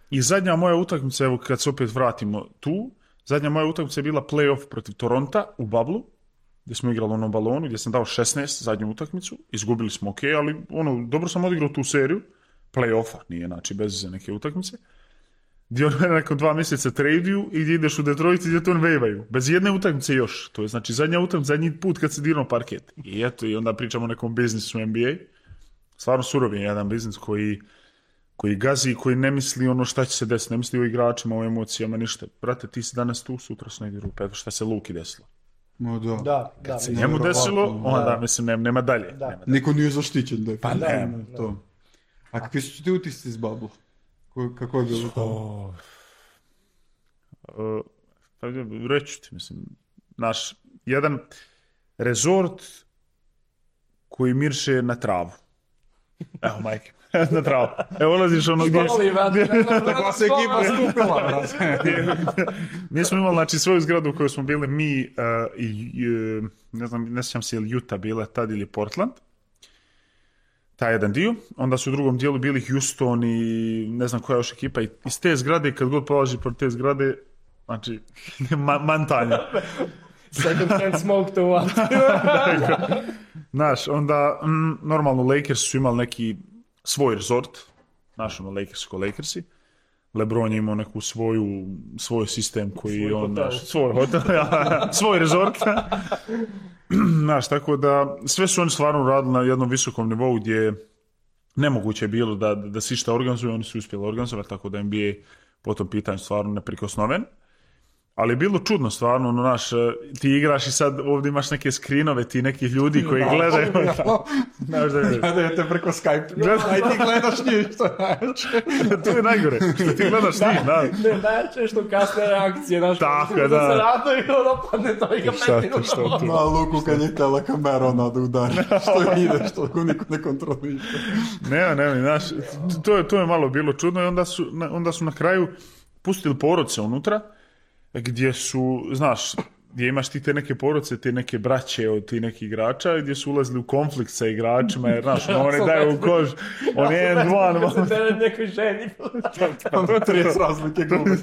I zadnja moja utakmica, evo kad se opet vratimo tu, zadnja moja utakmica je bila play-off protiv Toronta u Bablu, gdje smo igrali na balonu, gdje sam dao 16 zadnju utakmicu, izgubili smo ok, ali dobro sam odigrao tu seriju, play-offa, nije znači bez neke utakmice. gdje on nakon 2 mjeseca traduju i gdje ideš u Detroit i gdje to on vejvaju. Bez jedne utakmice još. To je znači zadnji put kad se dirno parket. I eto, i onda pričamo o nekom biznisu NBA. Stvarno surov je jedan biznis koji gazi, koji ne misli ono šta će se desiti, ne misli o igračima, o emocijama, ništa. Brate, ti si danas tu, sutra su negdje rupe. Eto šta se Luki desilo. No da. Da, Kad se njemu desilo, onda mislim nema dalje. Da. Nema dalje. Niko nije zaštićen. Pa ne. To. A kakvi su ti utisci iz Bubble? Kako je bilo to? Reći ti, mislim, naš jedan rezort koji mirše na travu. Evo, majke, na travu. Evo, ulaziš ono gdje... Tako se ekipa skupila, brate. Mi smo imali, znači, svoju zgradu u kojoj smo bili mi ne znam, ne sjećam se je li Utah bila tad ili Portland. Taj jedan dio. Onda su u drugom dijelu bili Houston i ne znam koja još ekipa. I iz te zgrade, kad god polaži pored te zgrade, znači, mantanja. Second hand smoke to what? Znaš, onda, normalno Lakers su imali neki svoj resort. Znaš, ono, Lakers ko Lakersi. LeBron je imao neku svoj sistem koji on, svoj hotel, svoj resort. Znaš, tako da sve su oni stvarno radili na jednom visokom nivou gdje nemoguće je bilo da se išta organizuje, oni su uspjeli organizovati, tako da NBA po tom pitanju stvarno neprikosnoven. Ali je bilo čudno stvarno, ono naš, ti igraš i sad ovdje imaš neke skrinove, ti neki ljudi koji gledaju. Znaš da je... Gledajte preko Skype. Aj ti gledaš njih, što najče. To je najgore, što ti gledaš njih, da. Ne, najče što kasne reakcije, znaš, tako, da da se rado i ono padne to i ga Šta peti to? Na Luku kad je tela kamera, ona da udari. Što ide, što ko niko ne kontroliše. Ne, znaš, to je malo bilo čudno i onda su na kraju pustili porodce unutra, gdje su, znaš, gdje imaš ti te neke porodice, te neke braće od ti nekih igrača, gdje su ulazili u konflikt sa igračima, jer, znaš, oni daju u kož, on je jedan, Da se tebe nekoj ženi. Tam 30 razlike glume.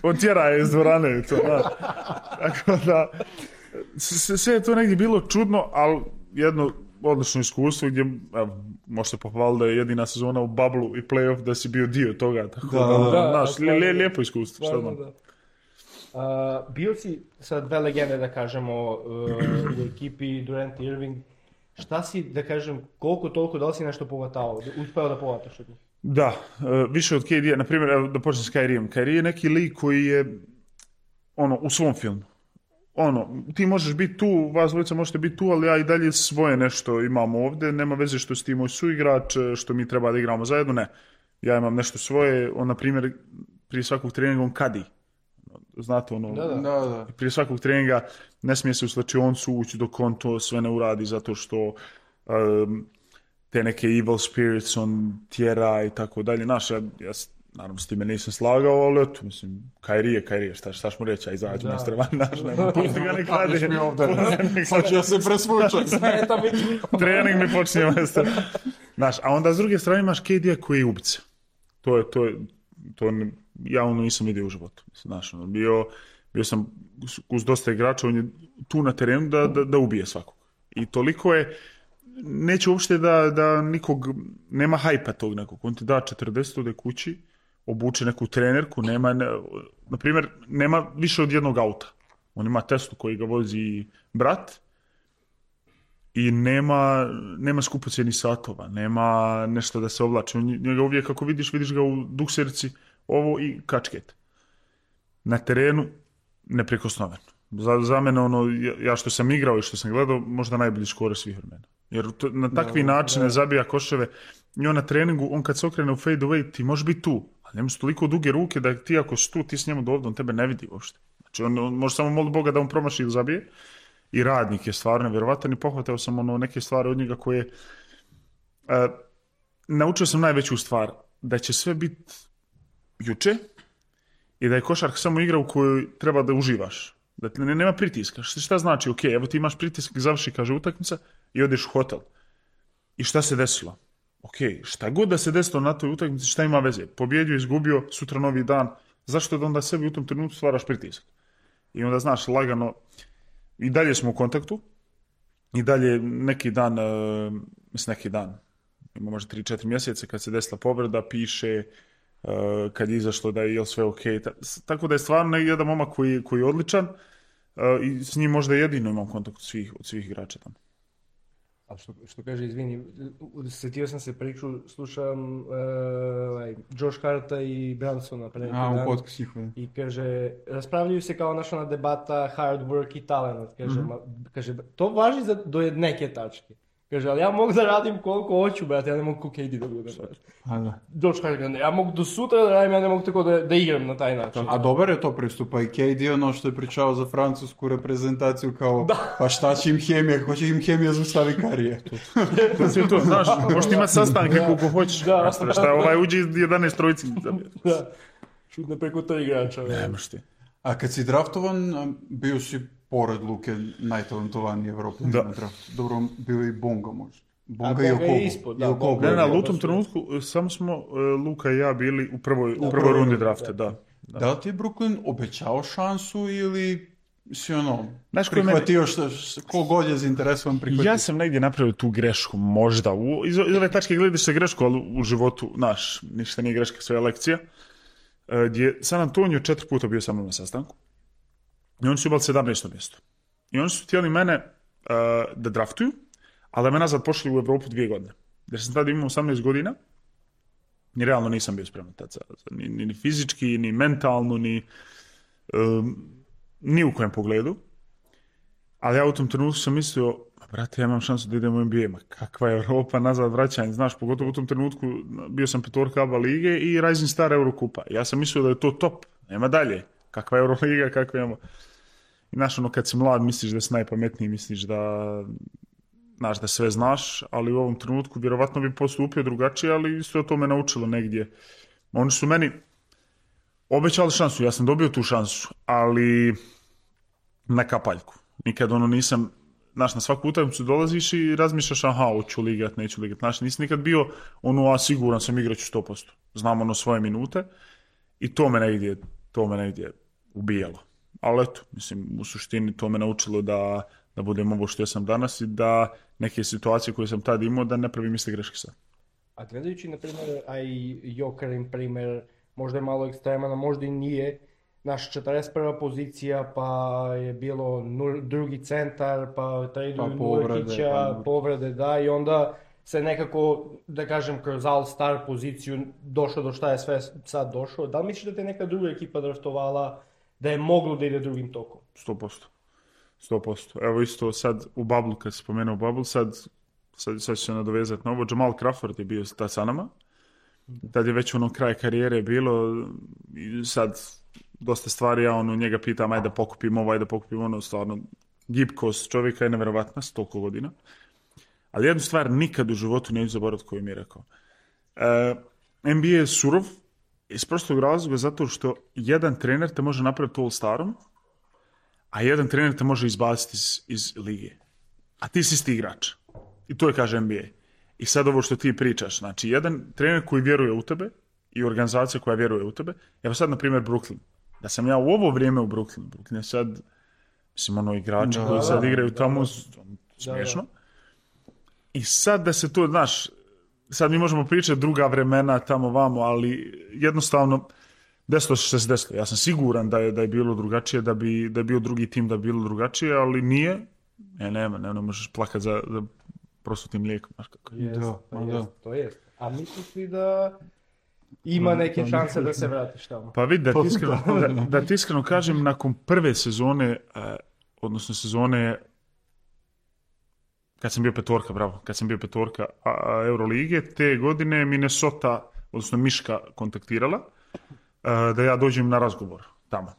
on tjera je iz dvorane, to, znaš. Tako da, sve je to negdje bilo čudno, ali jedno odlično iskustvo gdje, evo, možete pohvaliti da je jedina sezona u bubble i playoff da si bio dio toga, tako da, znaš, lijepo iskustvo, šta znam. Bio si sad dve legende, da kažemo, u ekipi Durant i Irving. Šta si, da kažem, koliko toliko, da li si nešto povatao, uspeo da povataš od njih? Da, više od KD-a, na primjer, evo da počnem s Kyrie-em. Kyrie je neki lik koji je, ono, u svom filmu. Ono, ti možeš biti tu, vas dvojica možete biti tu, ali ja i dalje svoje nešto imam ovdje, nema veze što si ti moj suigrač, što mi treba da igramo zajedno, ne. Ja imam nešto svoje, on, na primjer, prije svakog treninga on kadi. Znate, ono, Da. prije svakog treninga ne smije se u slačionicu ući dok on to sve ne uradi, zato što te neke evil spirits on tjera i tako dalje. Znaš, ja naravno s time nisam slagao, ali eto, mislim, Kyrie, šta ćemo reći, a izađu na strevan, znaš, nema, pusti ga ne kladi. Kažeš mi ovdje, sad ja se presvučam. Trening mi počinje mjesto. Znaš, a onda s druge strane imaš KD-a koji je ubica. To ja ono nisam vidio u životu. Znaš, ono, bio sam uz dosta igrača, on je tu na terenu da ubije svakog. I toliko je, neće uopšte da nikog, nema hajpa tog nekog. On ti da 40 ode kući, obuče neku trenerku, na primjer, nema više od jednog auta. On ima Teslu koji ga vozi brat i nema skupocjenih satova, nema nešto da se oblači. Njega uvijek kako vidiš ga u dukserici, ovo i kačket. Na terenu neprikosnoven. Za mene, ono, ja što sam igrao i što sam gledao, možda najbolji skor svih vremena. Jer na takvi načine zabija koševe i on na treningu, on kad se okrene u fade away, ti možeš biti tu, ali nema su toliko duge ruke da ti ako si tu, ti s njemu dovde, on tebe ne vidi uopšte. Znači on može samo moliti Boga da on promaši ili zabije. I radnik je stvarno nevjerovatan i pohvatao sam ono neke stvari od njega koje naučio sam najveću stvar, da će sve biti juče i da je košarka samo igra u kojoj treba da uživaš. Da nema pritiska. Šta znači? Ok, evo ti imaš pritisak, završi, kaže, utakmica i odeš u hotel. I šta se desilo? Ok, šta god da se desilo na toj utakmici, šta ima veze? Pobjedio, izgubio, sutra novi dan. Zašto da onda sebi u tom trenutku stvaraš pritisak? I onda znaš, lagano, i dalje smo u kontaktu, i dalje neki dan, ima možda 3-4 mjeseca kad se desila povreda, piše, kad je izašlo da je sve ok. Tako da je stvarno jedan momak koji je odličan i s njim možda jedino imam kontakt od svih igrača tamo. A što kaže, izvini, sjetio sam se priču, slušam Josh Harta i Bransona pre neki dan. I kaže, raspravljaju se kao naša debata hard work i talent. Kaže, to važi do neke tačke. Kaže, ali ja mogu da radim koliko hoću, brate, ja ne mogu KD da budem. Josh Hart, ja mogu do sutra da radim, ja ne mogu tako da igram na taj način. A dobar je to pristupa i KD, ono što je pričao za francusku reprezentaciju, kao, pa šta će im hemija, hoće im hemija zaustavi karijeru. To, znaš, možeš imati sastanke koliko hoćeš. Šta uđi 11 trojici. Da, šutne preko 3 igrača. Nemaš ti. A kad si draftovan, bio si pored Luke najtalentovaniji Evropan na draftu. Dobro, bio i Bonga možda. Bonga i Okobo. Ne, u tom trenutku samo smo Luka i ja bili u prvoj rundi drafte, da. Da li ti je Brooklyn obećao šansu ili si prihvatio ko god je zainteresovan prihvatio? Ja sam negdje napravio tu grešku, možda. Iz ove tačke gledaš se grešku, ali u životu, ništa nije greška, sve je lekcija. Gdje San Antonio 4 puta bio sa mnom na sastanku i oni su imali 17. mjesto. I oni su htjeli mene da draftuju, ali da me nazad pošli u Evropu 2 godine. Jer sam tada imao 18 godina i realno nisam bio spreman tad ni fizički, ni mentalno, ni u kojem pogledu. Ali ja u tom trenutku sam mislio, brate, ja imam šansu da idem u NBA, ma kakva je Europa, nazad vraćanje, znaš, pogotovo u tom trenutku bio sam petorka ABA lige i Rising Star Eurokupa. Ja sam mislio da je to top, nema dalje, kakva je Euroliga, kakva imamo. I znaš, kad si mlad, misliš da si najpametniji, misliš da sve znaš, ali u ovom trenutku vjerovatno bi postupio drugačije, ali isto to me naučilo negdje. Oni su meni obećali šansu, ja sam dobio tu šansu, ali na kapaljku. Nikad nisam, znaš, na svaku utakmicu dolaziš i razmišljaš, hoću ligat, neću ligat. Znaš, nisam nikad bio siguran sam igraću 100%. Znam svoje minute i to me negdje ubijalo. Ali eto, mislim, u suštini to me naučilo da budem ovo što ja sam danas i da neke situacije koje sam tad imao, da ne pravim iste greške sad. A gledajući, na primjer, Jokerin primjer, možda je malo ekstreman, možda i nije, naš 41. pozicija, pa je bilo drugi centar, pa traduju Nurkića, povrede, da, i onda se nekako, da kažem, kroz all-star poziciju došlo do šta je sve sad došlo. Da li misliš da te neka druga ekipa draftovala da je moglo da ide drugim tokom? 100%. Evo isto sad u Bubble, kad se spomenuo Bubble, sad ću se nadovezati na ovo. Jamal Crawford je bio tad sa nama. Tad je već kraj karijere bilo i sad dosta stvari, ja njega pitam, ajde pokupim ovo, ajde pokupim ono, stvarno gibkost čovjeka je nevjerovatna s toliko godina. Ali jednu stvar nikad u životu neću zaboraviti koju mi je rekao. NBA je surov iz prostog razloga zato što jedan trener te može napraviti all-starom, a jedan trener te može izbaciti iz lige. A ti si isti igrač. I to je, kaže, NBA. I sad ovo što ti pričaš, znači jedan trener koji vjeruje u tebe i organizacija koja vjeruje u tebe, evo sad na primjer Brooklyn. Da sam ja u ovo vrijeme u Brooklyn je sad, mislim, igrači koji sad igraju tamo, smiješno. I sad da se to, znaš, sad mi možemo pričati druga vremena tamo vamo, ali jednostavno desilo se desilo. Ja sam siguran da je bilo drugačije, da je bio drugi tim da bi bilo drugačije, ali nije. Ne možeš plakati za prosutim mlijekom. To jest. A misliš li da ima neke šanse da se vratiš tamo? Pa vidi, da ti iskreno kažem, nakon prve sezone, odnosno sezone kad sam bio petorka Eurolige, te godine Minnesota, odnosno Miška, kontaktirala da ja dođem na razgovor tamo.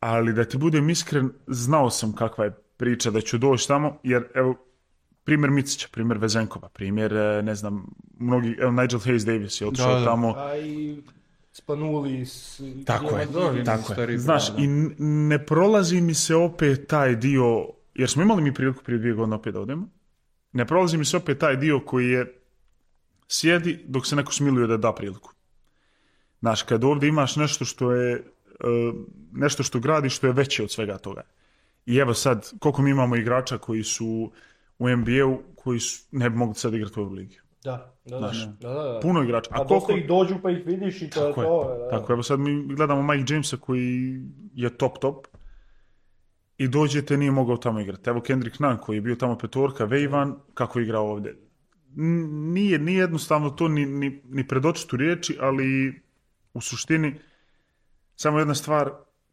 Ali da ti budem iskren, znao sam kakva je priča da ću doći tamo, jer evo, primjer Micića, primjer Vezenkova, primjer, ne znam, mnogi, Nigel Hayes Davis je otišao tamo. A i Spanuli. Tako je. Znaš, i ne prolazi mi se opet taj dio, jer smo imali mi priliku prije 2 godine opet da odemo, ne prolazi mi se opet taj dio koji je sjedi dok se neko smiluje da priliku. Znaš, kad ovdje imaš nešto što je, nešto što gradi, što je veće od svega toga. I evo sad, koliko mi imamo igrača koji su u NBA-u, koji ne bi mogli sad igrati u Euroligi. Da. Znaš, Da. puno igrača. A dosta ih dođu pa ih vidiš i to je to. Da. Tako je, evo sad mi gledamo Mike Jamesa koji je top i dođete, nije mogao tamo igrati. Evo Kendrick Nunn koji je bio tamo petorka, Vejvan, kako je igrao ovdje. Nije jednostavno to ni predočitu riječi, ali u suštini samo jedna stvar,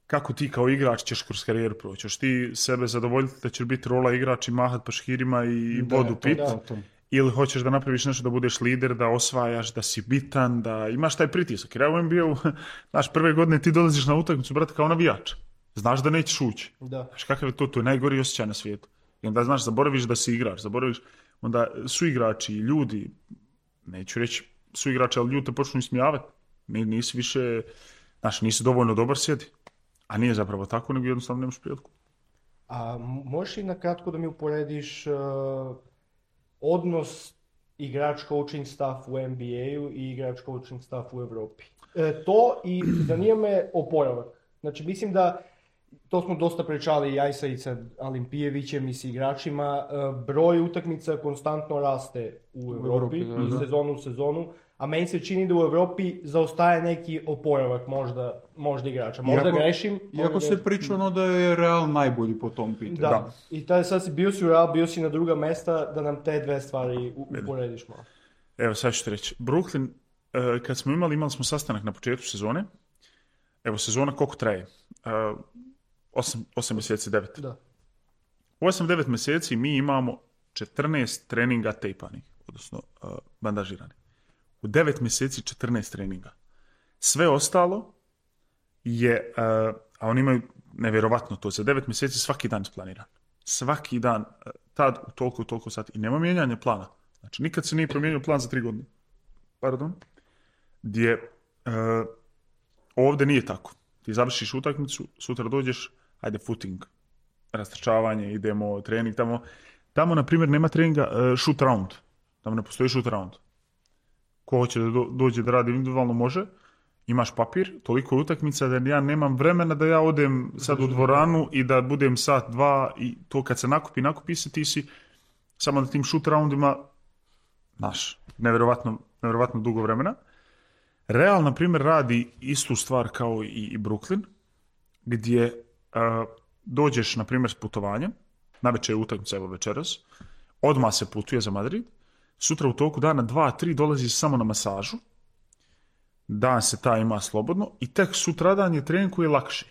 kako ti kao igrač ćeš kroz karijeru proći. Ćeš ti sebe zadovoljiti da ćeš biti rola igrač i mahat paškirima i vodu pit, ili hoćeš da napraviš nešto da budeš lider, da osvajaš, da si bitan, da imaš taj pritisak. Jer ja u NBA-u, znaš, prve godine ti dolaziš na utakmicu, brate, kao navijač. Znaš da nećeš ući. Znaš, kakav je to je najgori osjećaj na svijetu. I onda, znaš, zaboraviš da si igrač, onda su igrači, ljudi, neću reći su igrači, ali ljudi te počnu ismijavati. Nisi više, znaš, nisi dovoljno dobar, sjedi. A nije zapravo tako, nego jednostavno nemaš priliku. A možeš i nakratko da mi uporediš odnos igrač coaching staff u NBA-u i igrač coaching staff u Europi? To i zanima me oporavak. Znači, mislim da to smo dosta pričali ja i sa Alimpijevićem i s igračima. Broj utakmica konstantno raste u Europi, iz sezonu u sezonu, a meni se čini da u Europi zaostaje neki oporavak možda igrača. Možda grešim. Iako se pričano da je Real najbolji po tom pitanju. Da. I sad bio si u Real, bio si na druga mesta, da nam te dve stvari uporediš malo. Evo, sad ću ti reći. Brooklyn, kad smo imali smo sastanak na početku sezone. Evo, sezona koliko traje? 8 mjeseci, 9. Da. U 8-9 mjeseci mi imamo 14 treninga tejpanih, odnosno bandažiranih. U 9 mjeseci 14 treninga. Sve ostalo je, a oni imaju nevjerovatno to, za 9 mjeseci svaki dan isplaniran. Svaki dan, tad u toliko sati. I nema mijenjanja plana. Znači, nikad se nije promijenio plan za 3 godine. Pardon. Gdje ovdje nije tako. Ti završiš utakmicu, sutra dođeš, ajde footing, rastrčavanje, idemo trening tamo. Tamo, na primjer, nema treninga shoot round. Tamo ne postoji shoot round. Ko hoće da dođe da radi individualno može. Imaš papir, toliko je utakmica da ja nemam vremena da ja odem sad u dvoranu i da budem sat, dva i to kad se nakupi se ti si samo na tim shoot roundima, znaš, nevjerovatno dugo vremena. Real, na primjer, radi istu stvar kao i Brooklyn, gdje dođeš, na primjer, s putovanjem, navečer je utakmica, evo večeras, odmah se putuje za Madrid, sutra u toku dana 2-3 dolazi samo na masažu, dan se ta ima slobodno i tek sutradan je trening koji je lakši.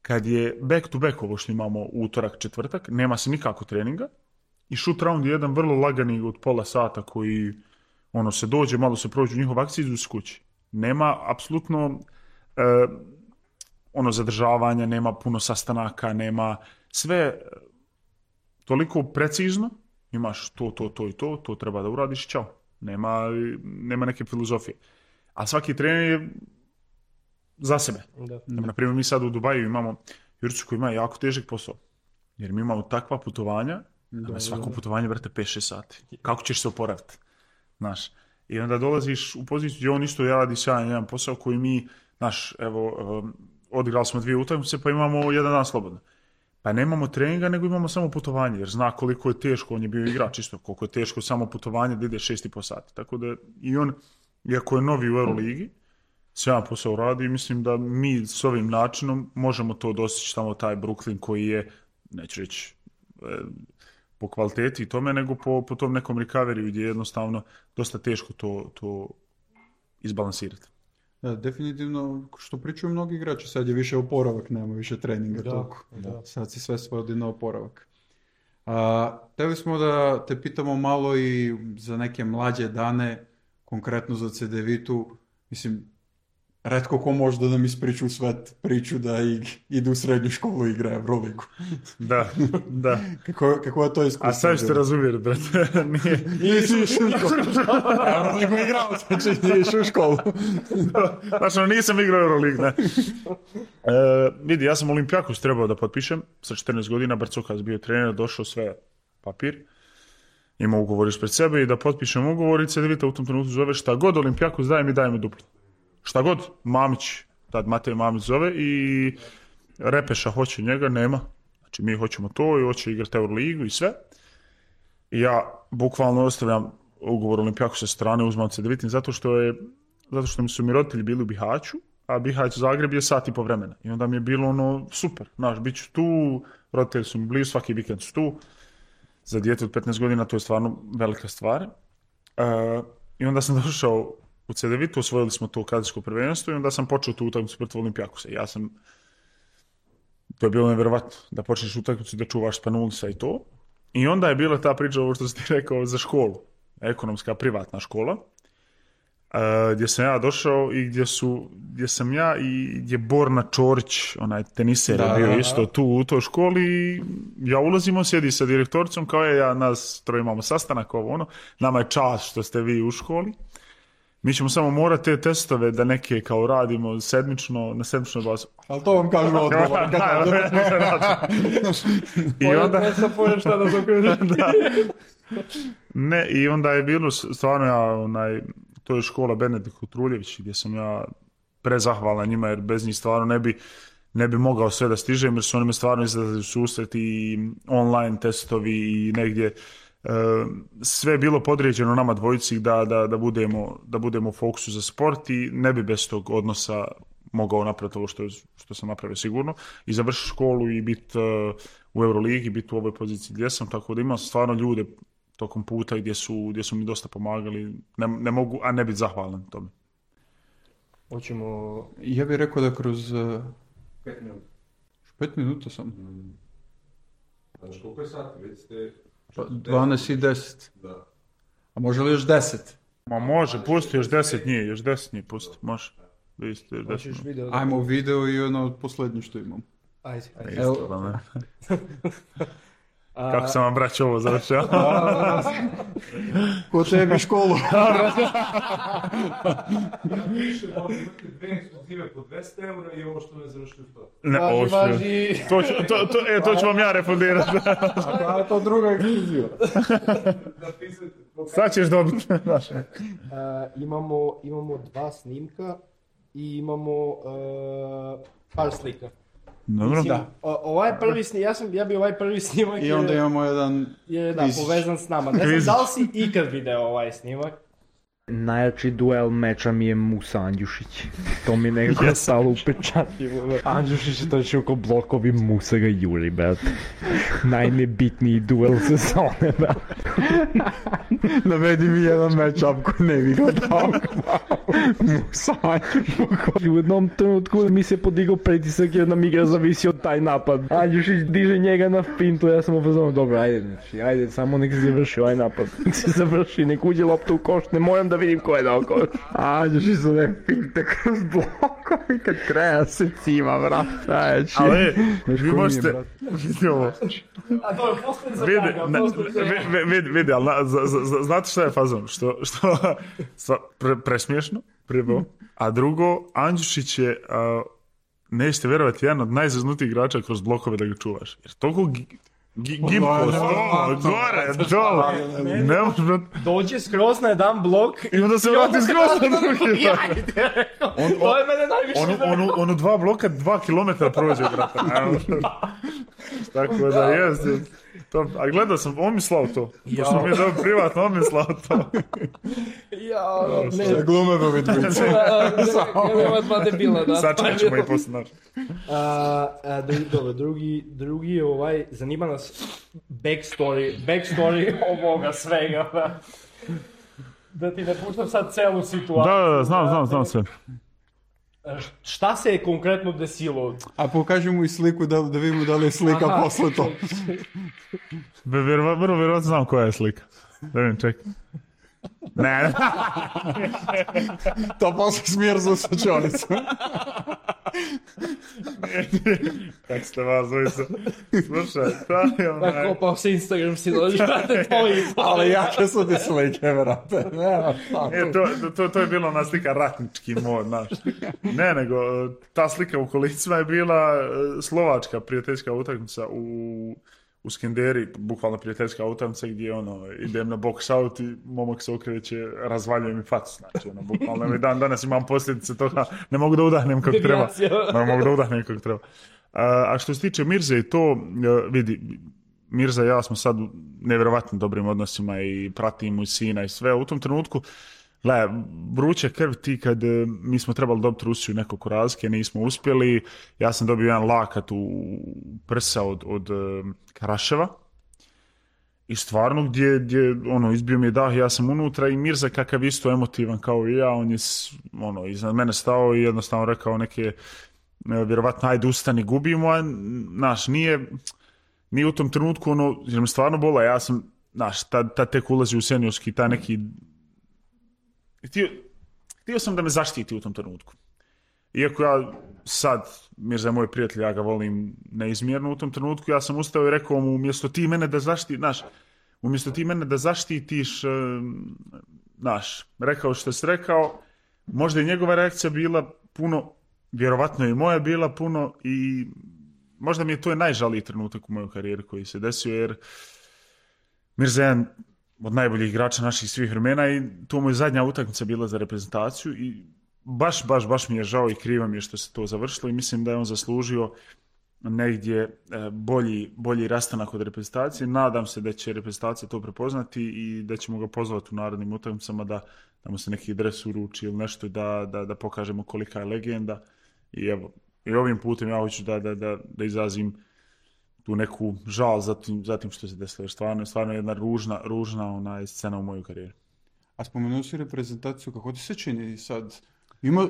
Kad je back to back ovo što imamo utorak, četvrtak, nema se nikako treninga i shoot round je jedan vrlo lagani od pola sata koji se dođe, malo se prođu njihov akciju i idu s kući. Nema apsolutno zadržavanja, nema puno sastanaka, nema sve toliko precizno, imaš to i to treba da uradiš, čao. Nema neke filozofije. A svaki trener je za sebe. Na primjer, mi sad u Dubaju imamo Juricu koji ima jako težak posao. Jer mi imamo takva putovanja, da svako putovanje vrte 5-6 sati. Kako ćeš se oporaviti? Znaš, i onda dolaziš u poziciju gdje on isto radi sjajan jedan posao koji mi, odigrali smo 2 utakmice pa imamo jedan dan slobodno. Pa nemamo treninga, nego imamo samo putovanje, jer zna koliko je teško, on je bio igrač isto, koliko je teško samo putovanje da ide 6,5 sati. Tako da i on, iako je novi u Euroligi, sjajan posao radi i mislim da mi s ovim načinom možemo to dostići tamo taj Brooklyn koji je, neću reći po kvaliteti i tome, nego po tom nekom recovery gdje je jednostavno dosta teško to izbalansirati. Da, definitivno, što pričaju mnogi igrači, sad je više oporavak, nema više treninga toliko. Sad si sve svodi na oporavak. Hteli smo da te pitamo malo i za neke mlađe dane, konkretno za CDVitu, mislim, retko ko može da nam ispriču svet priču da ide u srednju školu i igra Euroligu. Da. Kako je to iskustvo? A sad ćete razumjeti, brate. Nisi išao u školu. Euroligu igrao, znači nije išao u školu. Znači, nisam igrao Euroligu, ne. Vidi, ja sam Olimpijakos trebao da potpišem sa 14 godina, Barcokas bio trener, došao sve papir, imao ugovor ispred sebe i da potpišem ugovor i CDVita u tom trenutku zove šta god Olimpijakos daje mi duplo. Šta god, Mamić, tad Matej Mamić zove i Repeša hoće njega, nema. Znači mi hoćemo to i hoće igrati Euroligu i sve. I ja bukvalno ostavljam ugovor Olimpijaku sa strane, uzmao C9 zato što mi su mi roditelji bili u Bihaću, a Bihać Zagreb je sat i po vremena. I onda mi je bilo ono super, znaš, bit ću tu, roditelji su mi blizu, svaki vikend su tu. Za dijete od 15 godina to je stvarno velika stvar. I onda sam došao u C9, osvojili smo to kazijsko prvenstvo i onda sam počeo tu utakmicu protiv Olimpijakusa. To je bilo nevjerovatno, da počneš utakmicu da čuvaš Spanulisa i to. I onda je bila ta priča, ovo što si ti rekao, za školu. Ekonomska, privatna škola. Gdje sam ja došao i gdje sam ja i gdje Borna Čorić, onaj teniser, je bio isto tu u toj školi i ja ulazimo, sjedi sa direktoricom, kao nas troje imamo sastanak, nama je čast što ste vi u školi. Mi ćemo samo morati te testove da neke kao radimo na sedmičnoj bazi. Ali to vam kažemo odgovor. I onda... Ne, i onda je bilo stvarno to je škola Benedikt Kutruljević gdje sam ja prezahvalan njima jer bez njih stvarno ne bi mogao sve da stižem jer su oni me stvarno izlazili u susret i online testovi i negdje sve je bilo podređeno nama dvojici da budemo u fokusu za sport i ne bi bez tog odnosa mogao napraviti ovo što sam napravio sigurno i završiti školu i biti u Euroligi, biti u ovoj poziciji gdje sam, tako da imam stvarno ljude tokom puta gdje su mi dosta pomagali, ne mogu, a ne biti zahvalan tome. Hoćemo... Ja bih rekao da kroz... 5 minuta. 5 minuta sam. Znači, koliko je sati? Već ste... 12 i 10. Da. A može li još 10? Ma može, pusti još 10 njih pusti, može. Ajmo video i ono od posljednje što imam. Ajde. Evo. Kako sam vam braćo ovo završio? Ko tebi školu? Više možda imati 2 ekskluzive po 200 eura i ovo što ne završili to. Važi. To ću vam ja refundirati. A to druga ekskluziva. Sad ćeš dobiti. Imamo 2 snimka i imamo par slika. Dobro. Mislim, ovaj prvi snimak, ja bi ovaj prvi snimak i onda imamo jedan povezan s nama. Ne znam da li si ikad video ovaj snimak. Najjači duel meča mi je Musa Andjušić. To mi nekako stalo upečatljivo. Andjušić je točno oko blokovi, Musa ga juri, brate. Najnebitniji duel sezone, brate. Navedi mi jedan match-up koji ne bi gledao. Musa Andjušić. U jednom trenutku mi se podigao pritisak jer nam igra zavisi od taj napad. Andjušić diže njega na fintu, ja sam upozorno, dobro, ajde, samo nek se završi ovaj napad. Nek se završi, nek uđe lopta u koš, ne moram da vidim ko je dao koš. Andjušić su ne finte kroz blokovi kad kreja se cima, vrat. Ali, vi možete... Vidi ovo. A to je poslije za njega. Vidi, ali znate šta je fazon? Što presmiješno, prvo. A drugo, Andjušić je, nećete vjerovati, jedan od najzaznutijih igrača kroz blokove da ga čuvaš. Jer toliko gibkost, gore, dole, ne može... Dođe skroz na jedan blok i onda se vrati skroz na drugi. To je mene najviše... Ono 2 bloka, 2 kilometra prođe, brata. Tako da jest. A gledao sam, on mi slao to. Pošto mi je dobro privatno, on mi slao to. Ne glume da mi dvice. Nema dva debila, da. Sad ćemo i posle naš. Dobro, drugi zanima nas backstory ovoga svega. Da ti ne puštam sad celu situaciju. Da, znam sve. Šta se je konkretno desilo? A pokaži mu i sliku da vidimo da li je slika posle to. Vrlo vjerovatno znam koja je slika. Da vidim, čekaj. Ne. To posle smjerzu sa čonicu. Kako ste vas dvojica? Slušaj, šta je onaj... Kopao se Instagram si dođe, brate, tvoji. Ali jake su ti slike, vrate. To je bila ona slika ratnički mod, znaš. Ne, nego ta slika u kolicima je bila slovačka prijateljska utakmica u Skenderi, bukvalno prijateljska utakmica gdje idem na box out i momak se okreće, razvaljuje mi facu, znači bukvalno danas imam posljedice toga, ne mogu da udahnem kako treba. A što se tiče Mirze i to, vidi, Mirza i ja smo sad u nevjerovatno dobrim odnosima i pratimo i sina i sve. U tom trenutku, vruća krv ti kad mi smo trebali dobiti Rusiju nekoliko razlike, nismo uspjeli. Ja sam dobio jedan lakat u prsa od Karaševa. I stvarno gdje izbio mi je dah, ja sam unutra i Mirza kakav isto emotivan kao i ja, on je iznad mene stao i jednostavno rekao neke, vjerovatno ajde ustani, gubimo, a nije u tom trenutku jer me stvarno bola, ja sam, tad tek ulazi u seniorski, taj neki, htio sam da me zaštiti u tom trenutku. Iako ja sad, Mirza je moj prijatelj, ja ga volim neizmjerno u tom trenutku, ja sam ustao i rekao mu, umjesto ti mene da zaštitiš, rekao što si rekao, možda je njegova reakcija bila puno, vjerovatno je i moja bila puno i možda mi je to najžaliji trenutak u mojoj karijeri koji se desio, jer Mirza je jedan od najboljih igrača naših svih vremena i to mu je zadnja utakmica bila za reprezentaciju i baš mi je žao i krivo mi je što se to završilo i mislim da je on zaslužio negdje bolji rastanak od reprezentacije. Nadam se da će reprezentacija to prepoznati i da ćemo ga pozvati u narednim utakmicama da mu se neki dres uruči ili nešto da pokažemo kolika je legenda. I evo, i ovim putem ja hoću da izrazim tu neku žal za tim što se desilo. Stvarno je jedna ružna scena u mojoj karijeri. A spomenuo si reprezentaciju, kako ti se čini sad?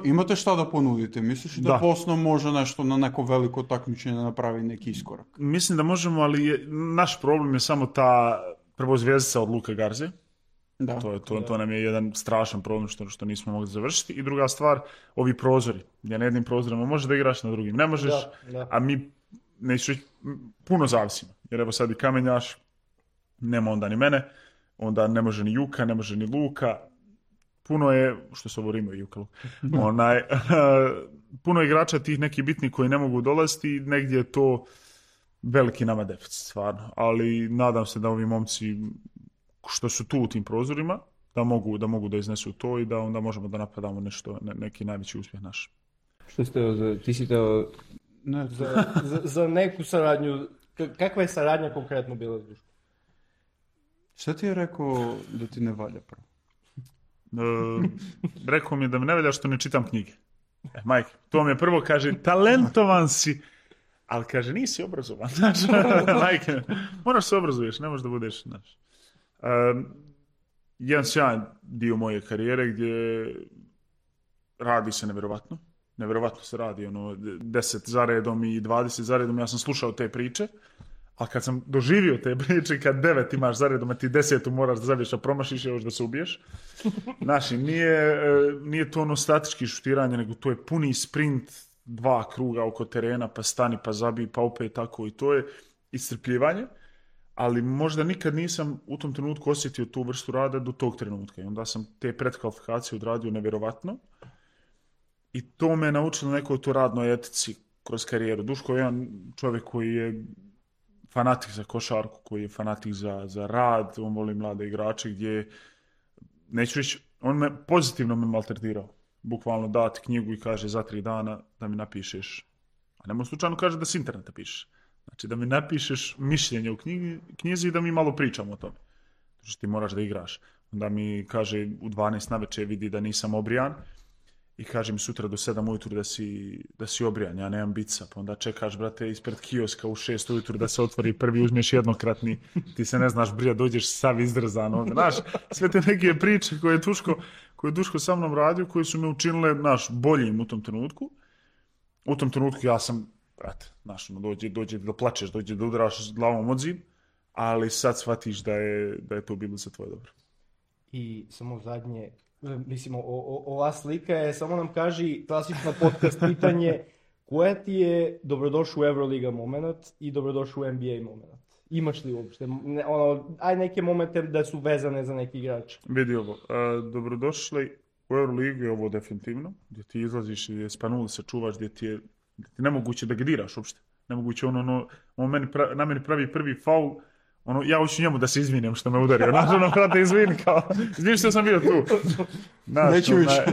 Imate šta da ponudite? Misliš da Bosna može nešto na neko veliko takmičenje napravi neki iskorak? Mislim da možemo, ali naš problem je samo ta prvo zvjezdica od Luke Garze. To nam je jedan strašan problem što nismo mogli završiti. I druga stvar, ovi prozori. Gdje na jednim prozorima možeš da igraš, na drugim ne možeš, a mi puno zavisimo. Jer evo sad i Kamenjaš, nema onda ni mene, onda ne može ni Juka, ne može ni Luka. Puno je, što se ovo Rimo i Juka, puno igrača tih nekih bitnih koji ne mogu dolaziti i negdje je to veliki nama deficit, stvarno. Ali nadam se da ovi momci što su tu u tim prozorima, da mogu da iznesu to i da onda možemo da napadamo neki najveći uspjeh naš. Što ste, ti si teo za neku saradnju, kakva je saradnja konkretno bila s Duškom? Šta ti je rekao da ti ne valja pravo? Rekao mi je da me ne valja što ne čitam knjige. Majke, to mi je prvo kaže, talentovan si, ali kaže, nisi obrazovan. Majke, moraš se obrazuješ, ne možeš da budeš, jedan sjajan dio moje karijere gdje radi se nevjerovatno se radi, 10 za redom i 20 za redom, ja sam slušao te priče, a kad sam doživio te priče, kad 9 imaš za redom, a ti 10 moraš da zabiješ, a promašiš, još da se ubiješ. Nije to statički šutiranje, nego to je puni sprint, 2 kruga oko terena, pa stani, pa zabij, pa opet tako, i to je iscrpljivanje. Ali možda nikad nisam u tom trenutku osjetio tu vrstu rada do tog trenutka. I onda sam te predkvalifikacije odradio nevjerovatno. I to me naučilo nekoj to radnoj etici kroz karijeru. Duško je jedan čovjek koji je fanatik za košarku, koji je fanatik za rad, on voli mlade igrače gdje, neću reći, on me pozitivno maltretirao. Bukvalno dati knjigu i kaže za 3 dana da mi napišeš, a nemoj slučajno kaže da s interneta pišeš. Znači da mi napišeš mišljenje u knjizi i da mi malo pričamo o tome. Znači ti moraš da igraš. Onda mi kaže u 12 navečer vidi da nisam obrijan i kaže mi sutra do 7 ujutru da si obrijan, ja nemam bica. Pa onda čekaš, brate, ispred kioska u 6 ujutru da se otvori prvi, uzmeš jednokratni, ti se ne znaš brija, dođeš sav izdrzan. Znaš, sve te neke priče koje je Duško sa mnom radio, koje su me učinile boljim u tom trenutku. U tom trenutku ja sam, brate, dođe da plačeš, dođe da udaraš glavom od zid, ali sad shvatiš da je to bilo za tvoje dobro. I samo zadnje, mislim, ova slika je, samo nam kaži, klasično podcast pitanje, koja ti je dobrodošao u Euroliga moment i dobrodošao u NBA moment? Imaš li uopšte? Aj neke momente da su vezane za neki igrač. Vidi ovo, dobrodošli u Euroligu je ovo definitivno, gdje ti izlaziš i spanuli se čuvaš, gdje ti je nemoguće da ga diraš uopšte. Nemoguće na meni pravi prvi faul, ja hoću njemu da se izvinim što me udario. Brate, izvini kao, izvini što sam bio tu. Neću više.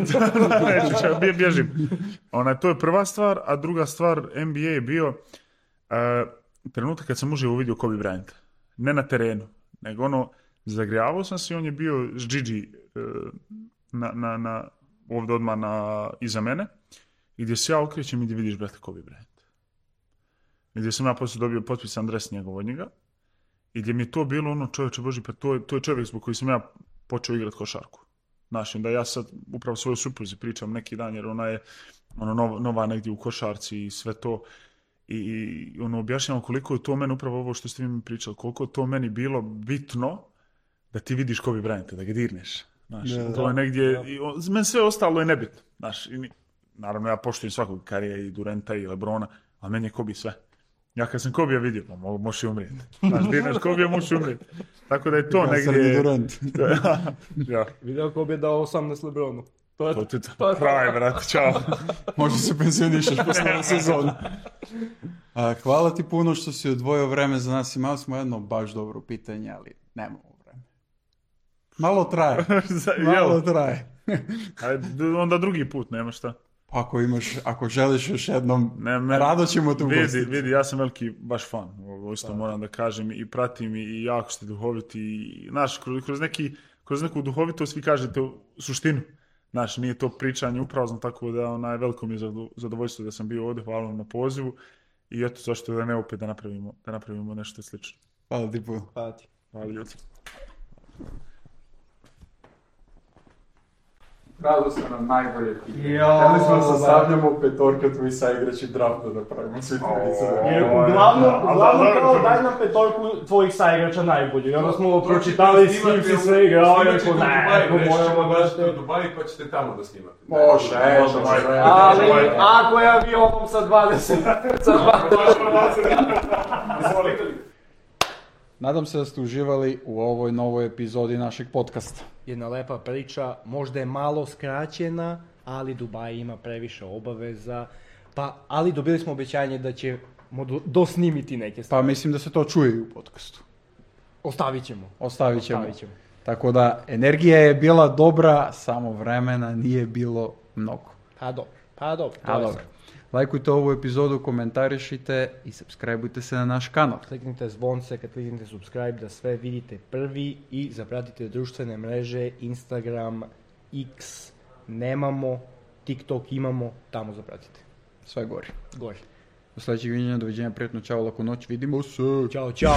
Bježim. To je prva stvar, a druga stvar, NBA je bio trenutak kad sam uživo vidio Kobe Bryant. ne na terenu, nego ono, zagrijavao sam se i on je bio s Gigi ovdje odmah iza mene, i gdje se ja okrećem i gdje vidiš, brate, Kobe Bryant. I gdje sam ja poslije dobio potpisan dres njegov od njega, i gdje mi je to bilo ono, čovječe Boži, pa to je čovjek zbog koji sam ja počeo igrati košarku. Znaš, da ja sad upravo svojoj supruzi pričam neki dan, jer ona je nova negdje u košarci i sve to. I ono, objašnjamo koliko je to meni, upravo ovo što ste mi pričali, koliko je to meni bilo bitno da ti vidiš Kobe Bryanta, da ga dirneš. Znaš, to je negdje, meni sve ostalo je nebitno. Znaš, naravno ja poštujem svakog Karija i Duranta i Lebrona, a meni je Kobe sve. Ja kad sam Kobija vidio, pa možeš i umrijeti. Znaš, dirneš Kobija, možeš i umrijeti. Tako da je to negdje... Durant. Ja. Video Kobe je dao 18 Lebronu. To ti to. Pravi, brate, čao. Možda se pensionišeš posle sezonu. Hvala ti puno što si odvojio vreme za nas. Imali smo jedno baš dobro pitanje, ali nemamo vreme. Malo traje. Onda drugi put, nema šta. Ako želiš još jednom, rado ćemo te ugostiti. Vidi, ja sam veliki baš fan, isto moram da kažem, i pratim i jako ste duhoviti. I, znaš, kroz neku duhovitost vi kažete suštinu. Znaš, nije to pričanje uprazno, tako da veliko mi je zadovoljstvo da sam bio ovdje, hvala vam na pozivu. I eto, zašto da ne opet da napravimo nešto slično. Hvala ti puno. Hvala ljudi. Rado ste nam najbolje pitanje. Htjeli smo se stavljamo petorka tvoji saigrači drafta da pravimo svi Jer uglavnom kao daj nam petorku tvojih saigrača najbolji. Onda smo pročitali s kim si sve igrao i rekao moramo doći u Dubai pa ćete tamo da snimate. Može. Ali ako je avionom sa 20. Nadam se da ste uživali u ovoj novoj epizodi našeg podcasta. Jedna lepa priča, možda je malo skraćena, ali Dubai ima previše obaveza, ali dobili smo obećanje da ćemo dosnimiti neke stvari. Pa mislim da se to čuje i u podcastu. Ostavit ćemo. Tako da, energija je bila dobra, samo vremena nije bilo mnogo. Pa dobro. Lajkujte ovu epizodu, komentarišite i subscribeujte se na naš kanal. Kliknite zvonce, kad kliknite subscribe da sve vidite prvi i zapratite društvene mreže, Instagram, X nemamo, TikTok imamo, tamo zapratite. Sve gori. Do sljedećeg viđenja, doviđenja, prijatno, čao, laku noć, vidimo se. Ćao.